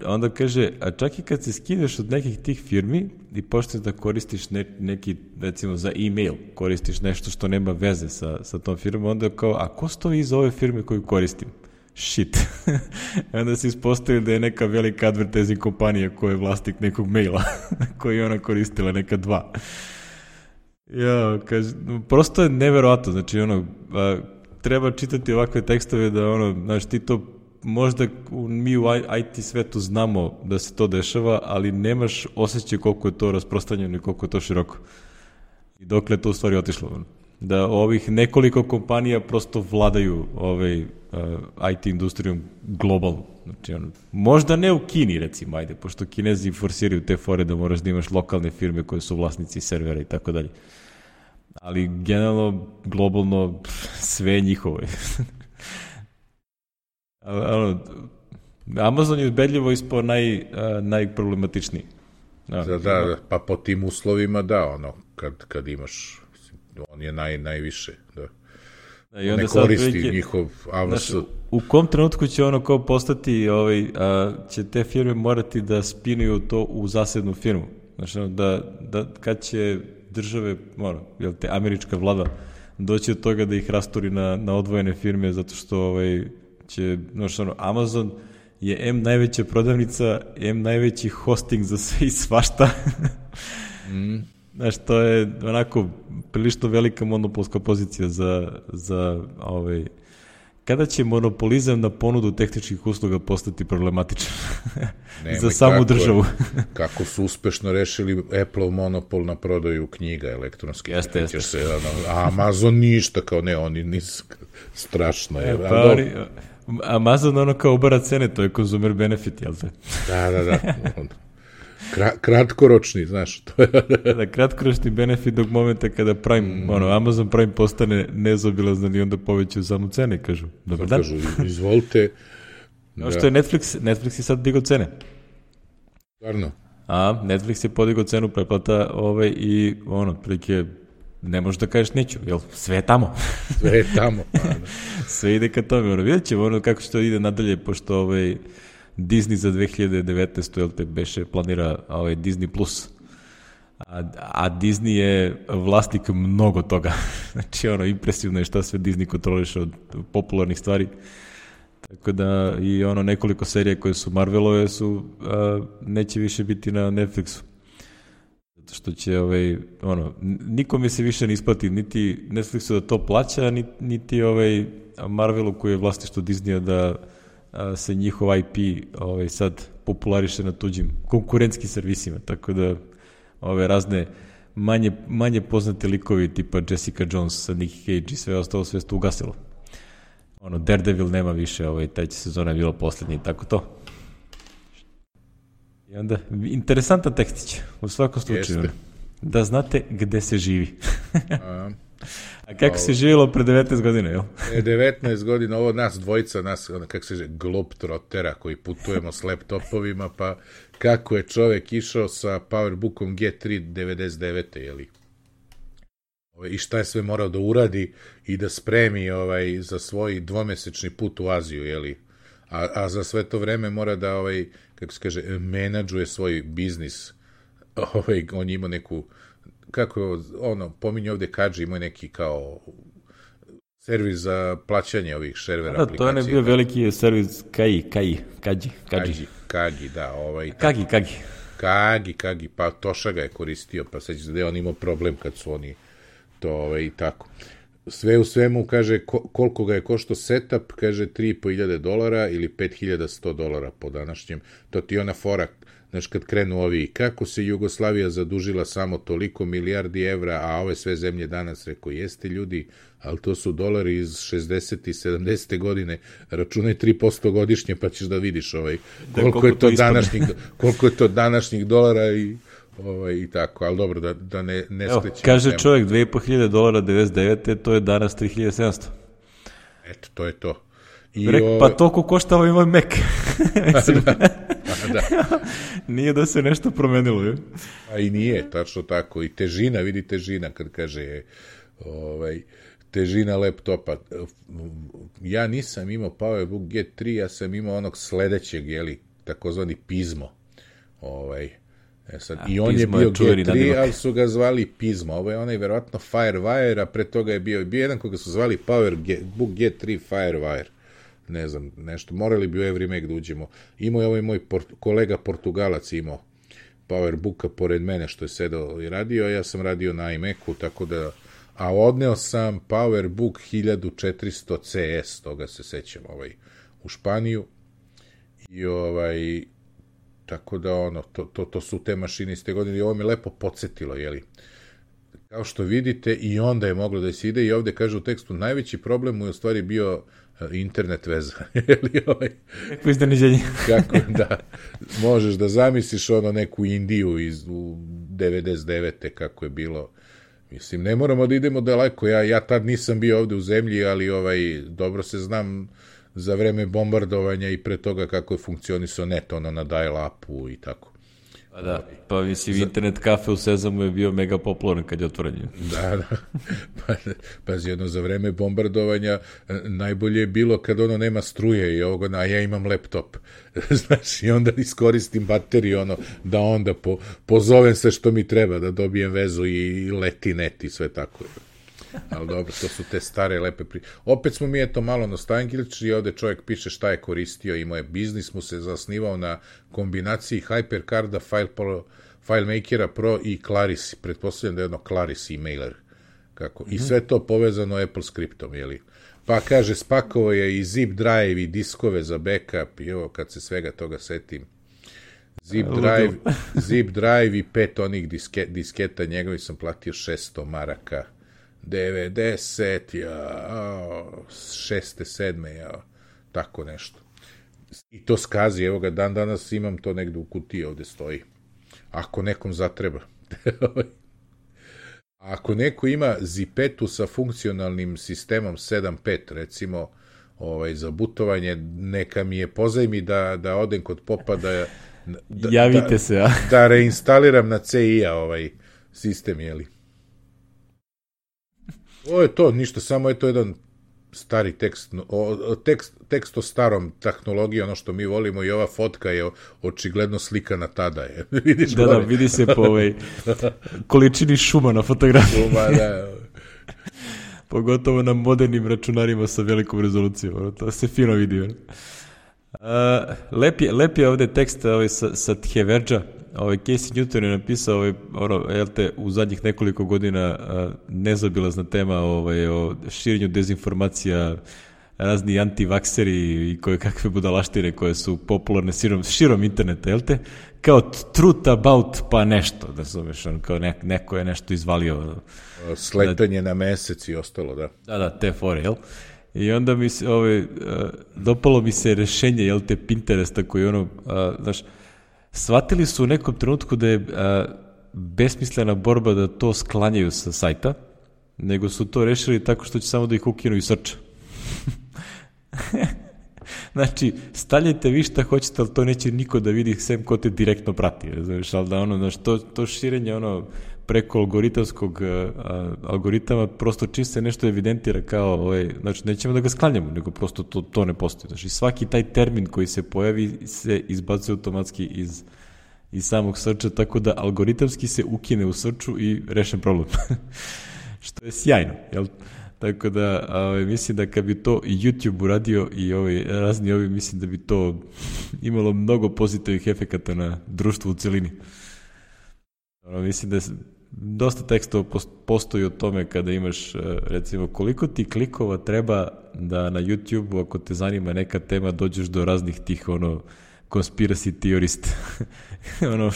onda kaže, a čak i kad se skineš od nekih tih firmi i počneš da koristiš neki, recimo za e-mail, koristiš nešto što nema veze sa tom firmom, onda kao, a ko stoji iza ove firme koju koristim? Shit. Onda se ispostavi da je neka velika advertising kompanija koja je vlasnik nekog maila koji je ona koristila, neka dva. Ja, kaže, prosto je neverovatno, znači treba čitati ovakve tekstove da znaš, ti to možda mi u IT svetu znamo da se to dešava, ali nemaš osjećaj koliko je to rasprostranjeno i koliko je to široko. I dokle je to u stvari otišlo. Da ovih nekoliko kompanija prosto vladaju IT industrijom globalno. Znači, možda ne u Kini, recimo, ajde, pošto Kinezi forsiraju te fore da moraš da imaš lokalne firme koje su vlasnici servera i tako dalje. Ali generalno, globalno, sve je njihovo. Amazon je ubedljivo ispao najproblematičniji. Da, pa po tim uslovima kad imaš, on je najviše, da. I onda ne koristi njihov avans. U kom trenutku će kao postati, će te firme morati da spinuju to u zasebnu firmu? Znači, da kad će države, američka vlada doći od toga da ih rasturi na odvojene firme, zato što će, Amazon je M najveća prodavnica, M najveći hosting za sve i svašta. Znaš, to je onako prilično velika monopolska pozicija za kada će monopolizam na ponudu tehničkih usluga postati problematičan za samu državu. Kako su uspešno rešili Apple monopol na prodaju knjiga elektronskih. Jeste. Amazon ništa, kao ne, oni nisu, strašno je. Amazon kao ubara cene, to je consumer benefit, jel te? Da. Kratkoročni, znaš. Da, kratkoročni benefit dok momenta kada Amazon Prime postane nezaobilazan i onda povećaju samo cene, kažu. Dobar dan. Kažu, izvolite. Kao što je Netflix je sad digao cene. Stvarno? Netflix je podigao cenu pretplata i prilike ne možeš da kažeš neću, jel? Sve je tamo. Sve je tamo. Sve ide ka tome. Vidjet ćemo kako što ide nadalje, pošto Disney za 2019. jel te beše planira Disney Plus. A Disney je vlasnik mnogo toga. Znači, impresivno je šta sve Disney kontroliše od popularnih stvari. Tako da i nekoliko serija koje su Marvelove neće više biti na Netflixu. Zato što će nikome se više ne isplati niti Netflixu da to plaća, niti Marvelu koji je vlasništvo Disneya da se njihov IP sad populariše na tuđim konkurentskim servisima, tako da razne manje poznate likovi tipa Jessica Jones, Nick Cage i sve ostalo sve to ugasilo. Daredevil nema više, treća sezona je bila poslednja i tako to. I onda, interesantan tekstić, u svakom slučaju. Da znate gde se živi. A kako se živjelo pre 19 godina, jel? 19 godina, ovo nas dvojica, kako se globetrottera koji putujemo s laptopovima, pa kako je čovek išao sa PowerBookom G3 99. jeli? I šta je sve morao da uradi i da spremi za svoj dvomesečni put u Aziju, jeli? A za sve to vreme mora da, kako se kaže, menadžuje svoj biznis. On ima neku, kako pominje ovde Kadži, ima neki kao servis za plaćanje ovih servera aplikacije. To je bio veliki servis Kagi, da. Kagi, pa Toša ga je koristio, pa sad da je on imao problem kad su oni to i tako. Sve u svemu, kaže, koliko ga je koštao setup, kaže $3.500 ili $5.100 po današnjem. To ti je ona fora, znaš, kad krenu ovi, kako se Jugoslavija zadužila samo toliko milijardi evra, a ove sve zemlje danas, rekao, jeste ljudi, ali to su dolari iz 60. i 70. godine, računaj 3% godišnje, pa ćeš da vidiš koliko je to današnjih dolara i tako, ali dobro, da ne skrećemo. Kaže čovjek $2.500 99. to je danas 3.700. Eto, to je to. Pa toliko košta ovaj Mac. Nije da se nešto promenilo, je? A i nije, tačno tako. I težina, vidi težina, kad kaže težina laptopa. Ja nisam imao PowerBook G3, ja sam imao onog sledećeg, jeli, takozvani Pizmo. Sad, i on je bio G3, nadimak. ali su ga zvali Pizmo. Ovo je onaj verovatno Firewire, a pre toga je bio jedan koga su zvali Book G3 Firewire. Ne znam, nešto. Morali bi u Every Mac da uđemo. Imao je ovaj moj kolega Portugalac imao Powerbooka pored mene što je sedao i radio, a ja sam radio na iMacu, tako da, a odneo sam Powerbook 1400 CS, toga se sećam, u Španiju, i tako da, to su te mašine iz te godine, i ovo me lepo podsjetilo, jeli. Kao što vidite, i onda je moglo da se ide, i ovde kaže u tekstu, najveći problem mu je u stvari bio internet veza. Kako iznenađenje. Kako, da. Možeš da zamisliš neku Indiju u 99. kako je bilo. Mislim, ne moramo da idemo daleko. Ja tad nisam bio ovde u zemlji, ali dobro se znam za vreme bombardovanja i pre toga kako je funkcionisao net, na dial-upu i tako. Da, pa mislim, internet kafe u Sezamu je bio mega popularan kad je otvoren. Da. Pazi, za vreme bombardovanja najbolje je bilo kad nema struje i ovoga, a ja imam laptop. Znaš, i onda iskoristim bateriju, da onda pozovem sve što mi treba, da dobijem vezu i leti net i sve tako. Ali dobro, to su te stare lepe Opet smo mi malo nostalgični i ovde čovjek piše šta je koristio, imao je biznis, mu se zasnivao na kombinaciji HyperCarda, FileMakera Pro i Claris. Pretpostavljam da je Claris e-mailer. I sve to povezano Apple skriptom, jeli? Pa kaže, spakovao je i zip drive i diskove za backup i kad se svega toga setim. Zip drive i 5 onih disketa njegovi sam platio 600 maraka. 90, 6. 7. Tako nešto. I to skazi, evo ga, dan danas imam to negde u kutiji, ovde stoji. Ako nekom zatreba. Ako neko ima zipetu sa funkcionalnim sistemom 7.5, recimo, za butovanje, neka mi je pozajmi da odem kod popa javite se, a? Da reinstaliram na CI-a sistem, jeli? Ovo je to, ništa, samo je to jedan stari tekst o starom tehnologiji, ono što mi volimo, i ova fotka je očigledno slikana tada. Vidiš da, vidi se po količini šuma na fotografiji. Da. Pogotovo na modernim računarima sa velikom rezolucijom, to se fino vidi. Lep je ovde tekst sa Tjeverđa. Casey Newton je napisao u zadnjih nekoliko godina nezabilazna tema o širenju dezinformacija, razni antivakseri i koje kakve budalaštine koje su popularne širom interneta, jel te? Kao truth about pa nešto, da zoveš, kao neko je nešto izvalio. Sletanje na mesec i ostalo, da. Da, te fore, jel? I onda mi se, dopalo mi se rešenje, jel te, Pinteresta koji znaš, shvatili su u nekom trenutku da je besmislena borba da to sklanjaju sa sajta, nego su to rešili tako što će samo da ih ukinu i srča. Znači, stavljajte vi šta hoćete, ali to neće niko da vidi sem ko te direktno prati. Znaš, ali da to širenje preko algoritama, prosto čim se nešto evidentira kao, znači nećemo da ga sklanjamo, nego prosto to ne postoji. Znači, svaki taj termin koji se pojavi se izbacuje automatski iz samog srča, tako da algoritamski se ukine u srču i rešen problem. Što je sjajno, jel? Tako da, mislim da kad bi to i YouTube uradio i razni mislim da bi to imalo mnogo pozitivnih efekata na društvu u celini. Mislim da dosta tekstova postoji o tome kada imaš, recimo, koliko ti klikova treba da na YouTube-u, ako te zanima neka tema, dođeš do raznih tih, conspiracy theorist,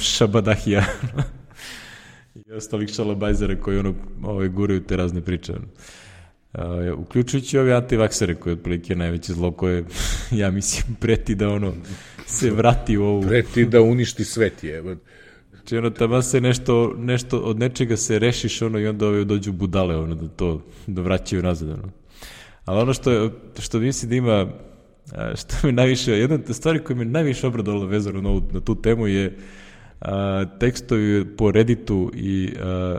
šabadahija i ostalih šalabajzera koji, guraju te razne priče, uključujući ove antivaksere koje otprilike najveće zlo koje, ja mislim, preti da se vrati u ovu... Preti da uništi svet je. Znači, tamo se nešto od nečega se rešiš, i onda dođu budale, da vraćaju nazad, Ali ono što mislim da ima, što mi najviše, jedna stvar koja mi najviše obradovala vezano na tu temu je tekstovi po Redditu i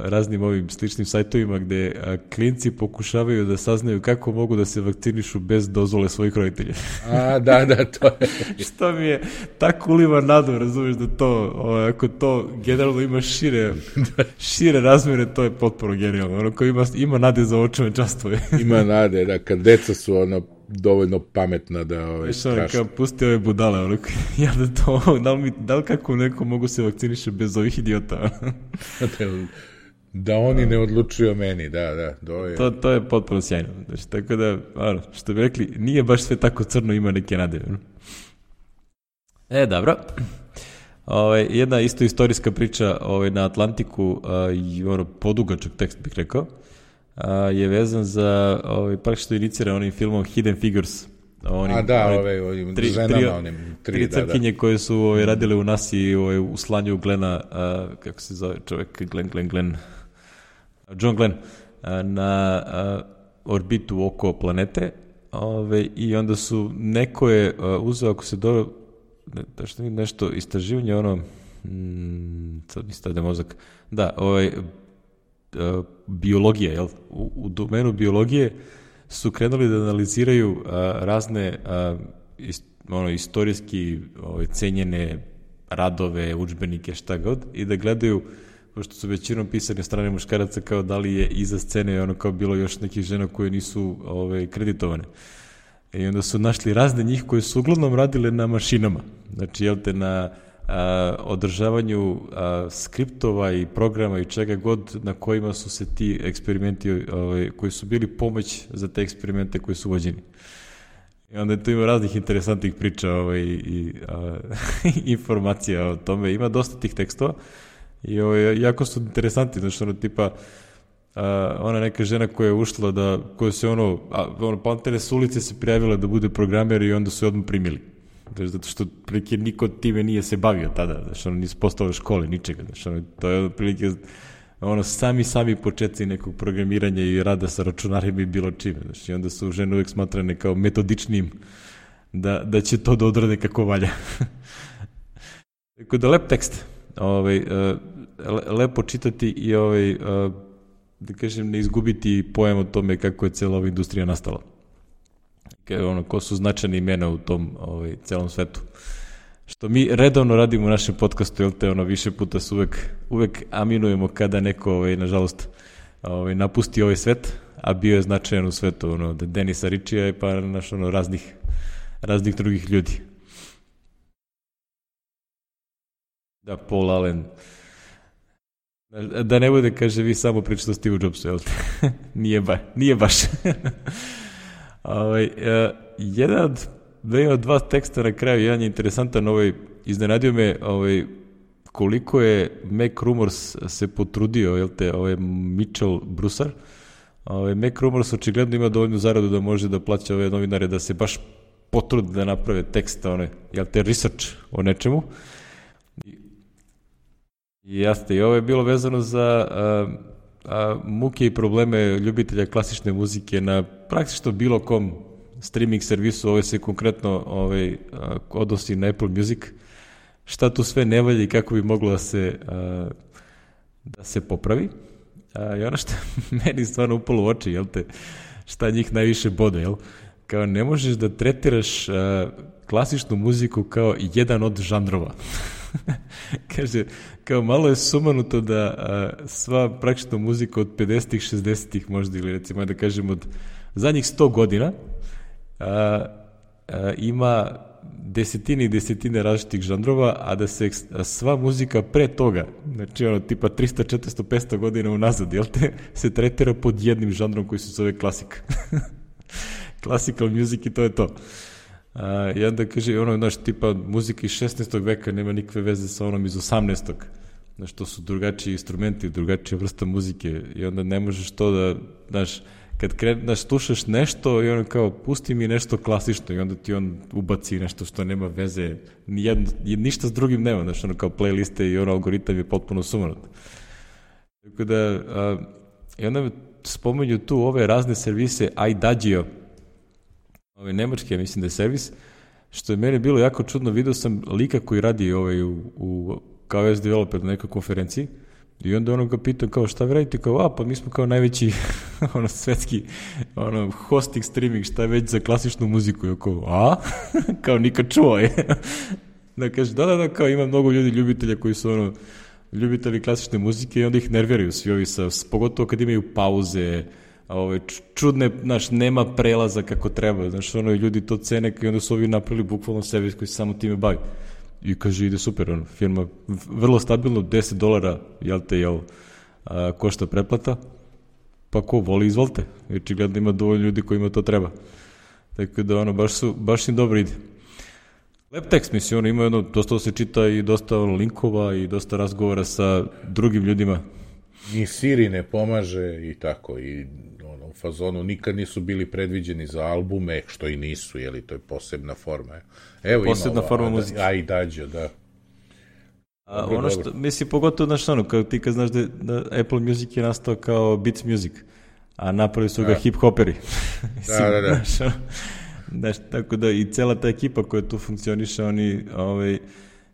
raznim ovim sličnim sajtovima gde klinci pokušavaju da saznaju kako mogu da se vakcinišu bez dozvole svojih roditelja. Da, to je. Što mi je tako uliva nadu, razumiješ da to, ako to generalno ima šire razmere, to je potpuno genijalno. Ono ko ima nade za očeve častove. Ima nade, da, kad deca su dovoljno pametna da strašno. Kao pusti ove budale, ja da li kako neko mogu se vakciniše bez ovih idiota? Da oni ne odlučuju o meni, da. To je potpuno sjajno. Znači, tako da, što bi rekli, nije baš sve tako crno, ima neke nade. Dobro. Jedna isto istorijska priča na Atlantiku, podugačak tekst bih rekao, je vezan za praktično iniciran onim filmom Hidden Figures. Tri crkinje koje su radile u NASA-i u slanju Glena, kako se zove čovjek, John Glenn, na orbitu oko planete, i onda su, neko je uzeo, ako se dobro, nešto istraživanje, sad mi stade mozak, biologija, jel? U domenu biologije su krenuli da analiziraju razne istorijski cenjene radove, udžbenike, šta god, i da gledaju, pošto su većinom pisane strane muškaraca, kao da li je iza scene kao bilo još nekih žena koje nisu kreditovane. I onda su našli razne njih koje su uglavnom radile na mašinama. Znači, na održavanju skriptova i programa i čega god na kojima su se ti eksperimenti koji su bili pomoć za te eksperimente koji su vođeni. I onda tu ima raznih interesantnih priča i informacija o tome. Ima dosta tih tekstova i jako su interesanti, znači tipa ona neka žena koja je ušla koja se pantene s ulice se prijavila da bude programer i onda su je odmah primili. Zato što prilike niko time nije se bavio tada, znači nisu postale škole, ničega, znači to je prilike sami početci nekog programiranja i rada sa računarima i bilo čime, znači onda su žene uvek smatrane kao metodičnim da će to da odrade kako valja. Tako da lep tekst, lepo čitati i da kažem ne izgubiti pojam o tome kako je cela ova industrija nastala. Ko su značajne imena u tom celom svetu. Što mi redovno radimo u našem podcastu, više puta se uvek aminujemo kada neko, nažalost, napusti ovaj svet, a bio je značajan u svetu, od Denisa Ritchija pa raznih drugih ljudi. Da, Paul Allen. Da ne bude, kaže, vi samo pričate o Steve Jobsu, jel te? Nije baš. Jedan od dva teksta na kraju, jedan je interesantan, iznenadio me koliko je Mac Rumors se potrudio, jel te, Mitchell Brusar. Mac Rumors očigledno ima dovoljnu zaradu da može da plaća ove novinare da se baš potrude da naprave teksta, jel te, research o nečemu. Jasne, i ovo je bilo vezano za muke i probleme ljubitelja klasične muzike na praktično bilo kom streaming servisu. Ovo se konkretno odnosi na Apple Music. Šta tu sve ne valja i kako bi moglo da se popravi. I ono što meni stvarno upalo u oči, jel te, šta njih najviše bode, jel? Kao ne možeš da tretiraš klasičnu muziku kao jedan od žanrova. Kaže, kao malo je sumanuto da sva praktično muzika od 50-ih, 60-ih možda, ili recimo da kažem od zadnjih 100 godina ima desetine i desetine različitih žanrova, a da se sva muzika pre toga, znači tipa 300, 400, 500 godina unazad, jel te, se tretira pod jednim žanrom koji se zove klasik. Classical music i to je to. I onda kaže, tipa muzika iz 16. veka nema nikakve veze sa onom iz 18. Znaš, to su drugačiji instrumenti, drugačija vrsta muzike i onda ne možeš to da, znaš, kad slušaš nešto i kao, pusti mi nešto klasično i onda ti on ubaci nešto što nema veze, ništa s drugim nema, znaš, kao playliste i algoritam je potpuno sumanut. Tako da, i onda spomenju tu ove razne servise, iDagio, nemački, mislim da je servis, što je meni bilo jako čudno, vidio sam lika koji radi kao S developer na nekoj konferenciji i onda ono ga pitam kao šta vi radite, kao pa mi smo kao najveći svetski hosting, streaming, šta je već za klasičnu muziku, i kao kao nikad čuo je. Da kaže, da, kao ima mnogo ljudi ljubitelja koji su ljubitelji klasične muzike i onda ih nerviraju svi ovi pogotovo kad imaju pauze, čudne, nema prelaza kako treba, ljudi to cene i onda su ovi napravili bukvalno servis koji se samo time bavi. I kaže, ide super, firma vrlo stabilno, $10, košta pretplata, pa ko voli, izvolite. Očigledno ima dovoljno ljudi kojima to treba. Tako da, baš im dobro ide. Lep tekst, mislim, ima dosta se čita i dosta linkova i dosta razgovora sa drugim ljudima. Ni Siri ne pomaže i tako, i u fazonu nikad nisu bili predviđeni za albume, što i nisu, to je posebna forma. Evo posebna forma muzike. I dađe, da. Ono što, mislim, pogotovo, kao ti kad znaš da Apple Music je nastao kao Beats Music, a napravili su ga hip-hoperi. Da. Tako da i cela ta ekipa koja tu funkcioniše, oni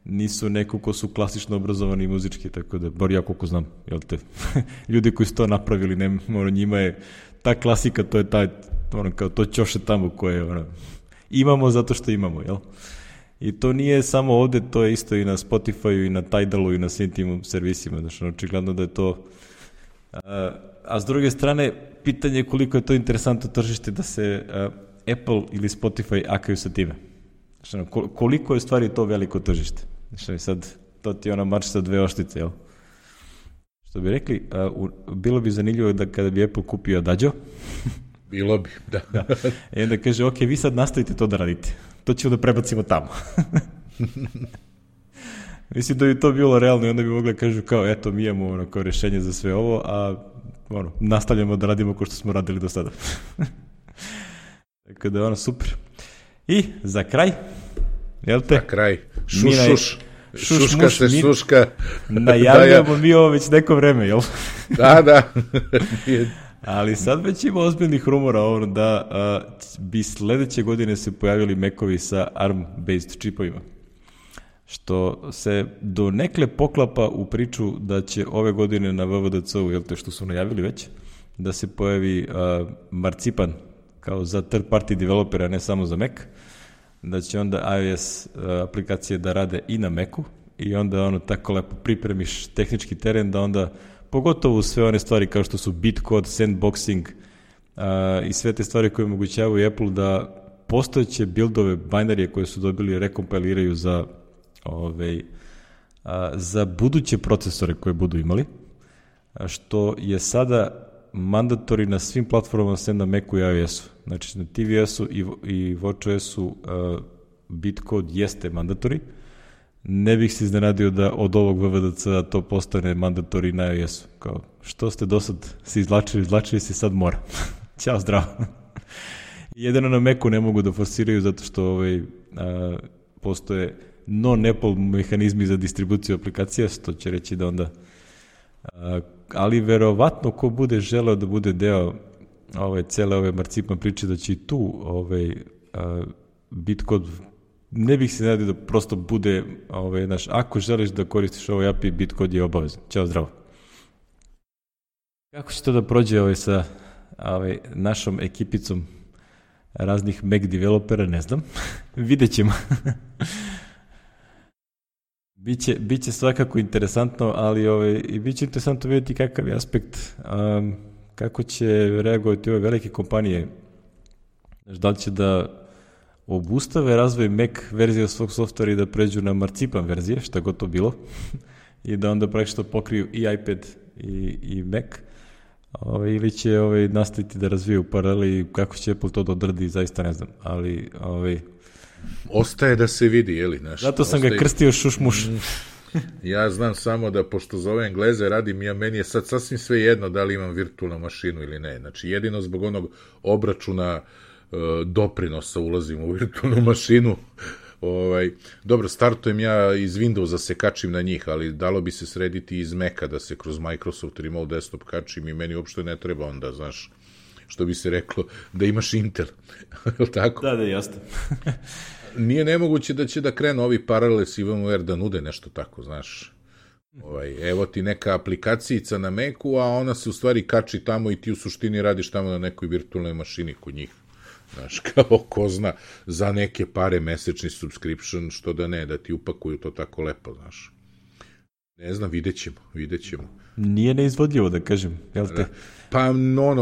nisu neko ko su klasično obrazovani muzički, tako da, bar ja koliko znam, ljudi koji su to napravili, njima je ta klasika, to je kao to ćoše tamo koje imamo zato što imamo, jel? I to nije samo ovde, to je isto i na Spotify-u i na Tidalu i na svim tim servisima, očigledno da je to. A s druge strane, pitanje je koliko je to interesantno tržište da se Apple ili Spotify akaju sa time. Koliko je stvari to veliko tržište? Sad, to ti je marš sa dve oštice, jel? Što bi rekli, bilo bi zanimljivo da kada bi Apple kupio Adagio. Bilo bi, da. I onda kaže, ok, vi sad nastavite to da radite. To ćemo da prebacimo tamo. Mislim da bi to bilo realno i onda bi mogli kažu kao, eto, mi imamo kao rešenje za sve ovo, a nastavljamo da radimo kao što smo radili do sada. Tako da je super. I za kraj, jel te? Za kraj, šuška se šuška. Najavljamo mi ovo već neko vreme, jel? Da. Ali sad već ima ozbiljnih rumora da bi sledeće godine se pojavili Macovi sa ARM-based čipovima. Što se do nekle poklapa u priču da će ove godine na WWDC-u, jel te što su najavili već, da se pojavi Marcipan kao za third party developera, ne samo za Mac, da će onda iOS aplikacije da rade i na Macu i onda tako lepo pripremiš tehnički teren da onda pogotovo sve one stvari kao što su bitcode, sandboxing i sve te stvari koje omogućavaju Apple da postojeće buildove, binarije koje su dobili rekompiliraju za buduće procesore koje budu imali, što je sada mandatori na svim platformama sem na Macu i iOS-u. Znači na tvOS-u i watchOS-u bitcode jeste mandatori. Ne bih se iznenadio da od ovog WWDC-a to postane mandatori na iOS-u. Kao, što ste do sad se izvlačili se, sad mora. Ćao, zdravo. Jedino na Macu ne mogu da forsiraju zato što postoje non-Apple mehanizmi za distribuciju aplikacija, što će reći da onda ali verovatno ko bude želeo da bude deo cele ove Marcipan priče da će i tu bitcode, ne bih se nadio da prosto bude ako želiš da koristiš ovaj API, bitcode je obavezan. Ćao, zdravo. Kako će to da prođe sa našom ekipicom raznih Mac developera, ne znam. Vidjet ćemo. Biće svakako interesantno, ali i biće interesantno vidjeti kakav je aspekt, kako će reagovati ove velike kompanije. Da li će da obustave razvoj Mac verzije svog softvera i da pređu na Marcipan verzije, šta god to bilo, i da onda praktično pokriju i iPad i Mac, ili će nastaviti da razviju paraleli, kako će Apple to da odradi, zaista ne znam, ali ostaje da se vidi, jeli? Zato sam ga krstio šušmuš. Ja znam samo da, pošto za ove Engleze radim, meni je sad sasvim sve jedno da li imam virtualnu mašinu ili ne. Znači, jedino zbog onog obračuna doprinosa ulazim u virtualnu mašinu. Dobro, startujem ja iz Windowsa se kačim na njih, ali dalo bi se srediti iz Maca da se kroz Microsoft Remote Desktop kačim i meni uopšte ne treba onda, znaš, što bi se reklo, da imaš Intel. Tako? Da, jasno. Nije nemoguće da će da krenu ovi Parallels i VMware da nude nešto tako, znaš. Evo ti neka aplikacijica na Macu, a ona se u stvari kači tamo i ti u suštini radiš tamo na nekoj virtualnoj mašini kod njih. Znaš, kao ko zna, za neke pare mesečni subscription, što da ne, da ti upakuju to tako lepo, znaš. Ne znam, vidjet ćemo. Nije neizvodljivo, da kažem, jel te? Pa,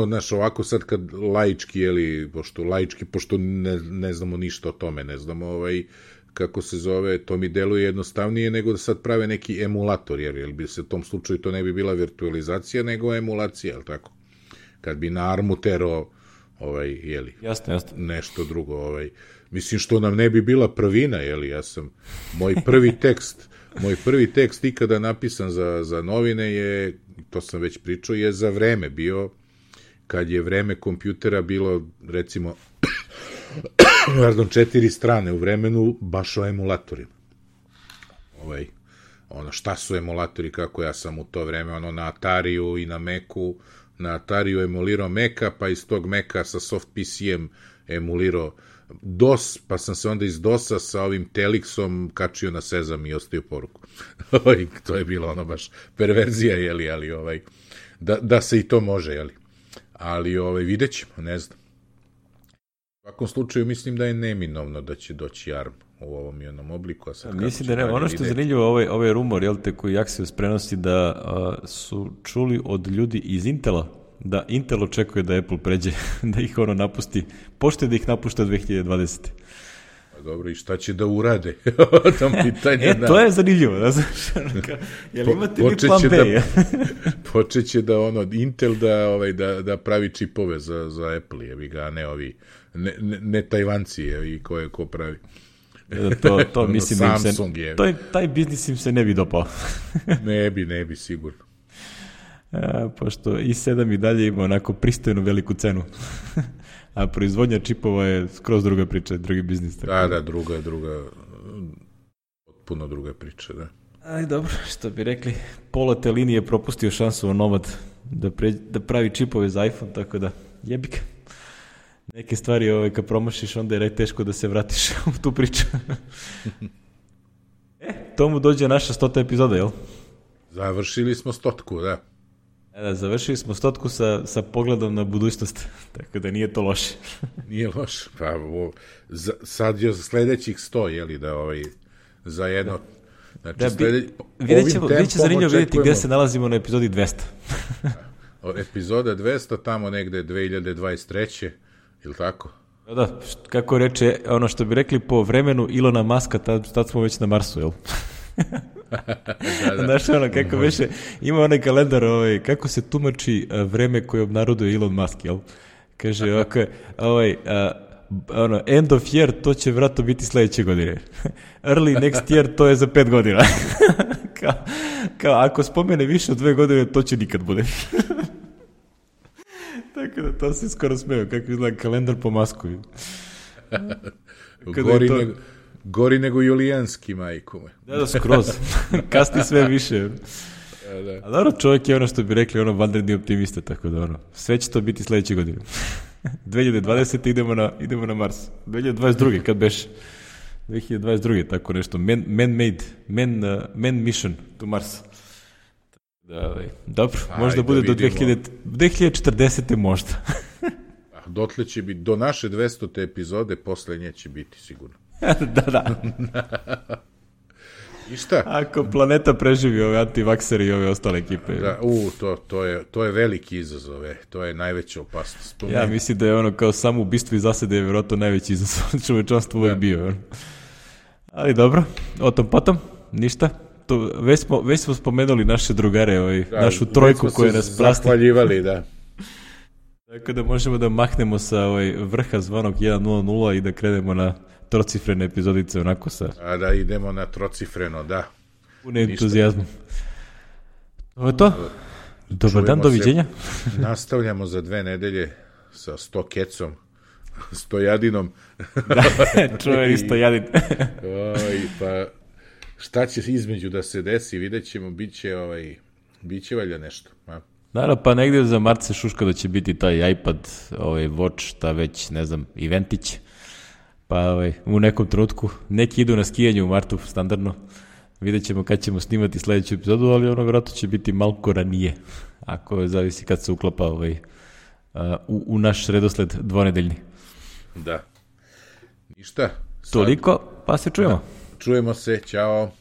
znaš, ovako sad kad laički, pošto ne znamo ništa o tome, ne znamo kako se zove, to mi deluje jednostavnije nego da sad prave neki emulator, jer bi se u tom slučaju to ne bi bila virtualizacija, nego emulacija, jel tako? Kad bi na ARM-u terao jasno. Nešto drugo, mislim što nam ne bi bila prvina, moj prvi tekst ikada napisan za novine je, to sam već pričao, je za Vreme bio, kad je Vreme kompjutera bilo, recimo, 4 strane u Vremenu, baš o emulatorima. Šta su emulatori, kako ja sam u to vreme, na Atariju i na Macu, na Atariju emulirao Maca, pa iz tog Maca sa soft PC-em emulirao DOS, pa sam se onda iz DOS-a sa ovim Telixom kačio na Sezam i ostavio poruku. To je bilo baš perverzija, ali da se i to može, ali vidjet ćemo, ne znam. U svakom slučaju mislim da je neminovno da će doći ARM u ovom i onom obliku. Mislim da ne, ono što je zanimljivo, ovaj rumor, koji Axios prenosi da su čuli od ljudi iz Intela, da Intel očekuje da Apple pređe, da ih napusti, pošto da ih napušta 2020. Dobro, i šta će da urade? To je zanimljivo, da znaš, jel imate mi plan B? Počeće da Intel da pravi čipove za Apple, a ne ovi, ne Tajvanci, ko pravi. To mislim da im se, taj biznis im se ne bi dopao. Ne bi, sigurno. Pošto i7 i dalje ima onako pristojnu veliku cenu. A proizvodnja čipova je skroz druga priča, drugi biznis. Da, druga, potpuno druga priča, da. Aj, dobro, što bi rekli, pola te linije propustio šansu o Nomad da pravi čipove za iPhone, tako da jebika. Neke stvari kad promašiš, onda je teško da se vratiš u tu priču. Tomu dođe naša 100. epizoda, jel? Završili smo 100, da. Da, završili smo 100 sa pogledom na budućnost, tako da nije to loše. Nije loše, pa sad je sledećih 100, za jedno... Znači, vidjet će zanimljivo vidjeti gde se nalazimo na epizodi 200. Epizoda 200, tamo negde 2023. Ili tako? Da, kako reče, ono što bi rekli po vremenu Ilona Maska, tad smo već na Marsu, jel? Znaš kako veše, ima onaj kalendar, kako se tumači vreme koje obnaroduje Elon Musk, jel? Kaže ovako, end of year, to će vratno biti sledeće godine. Early next year, to je za 5 godina. kao, ako spomene više od 2 godine, to će nikad bude. Tako da to se skoro smeo, kako izgleda kalendar po Masku. Gori nego Julijanski, majku me. Da, skroz. Kasni sve više. A dobro, čovjek je što bi rekli, vanredni optimista, tako da sve će to biti sledeće godine. 2020. idemo na Mars. 2022. kad beš? 2022. tako nešto. Man mission to Mars. Dobro, možda bude do 2040. možda. Dotle će biti, do naše 200. epizode, posle nje će biti sigurno. Da. I šta? Ako planeta preživi ove antivakseri i ove ostale ekipe. Da, to je veliki izazov, to je najveća opasnost. Ja mislim da je kao samo ubistvo i zasede je vjerojatno najveći izazov čovečanstvo uvijek bio. Ali dobro, o tom potom, ništa. Već smo spomenuli naše drugare, našu trojku koja nas prasti. Zahvaljivali, da. Tako da možemo da mahnemo sa vrha zvanog 1.00 i da krenemo na trocifrene epizodice onako sa... A da idemo na trocifreno, da. Pune entuzijazmu. Ovo je to. Dobar dan, doviđenja. Nastavljamo za 2 nedelje sa 100 kecom, Stojadinom. Da, čuveni Stojadin. Pa šta će između da se desi, vidjet ćemo, bit će valjda nešto. Naravno, pa negdje za mart se šuška da će biti taj iPad, Watch, šta već, ne znam, eventić. Pa u nekom trenutku, neki idu na skijanje u martu, standardno. vidjet ćemo kad ćemo snimati sledeću epizodu, ali ono vjerojatno će biti malko ranije, ako zavisi kad se uklapa u naš redosled dvonedeljni. Da. Ništa. Toliko, pa se čujemo. Da. Čujemo se, ćao.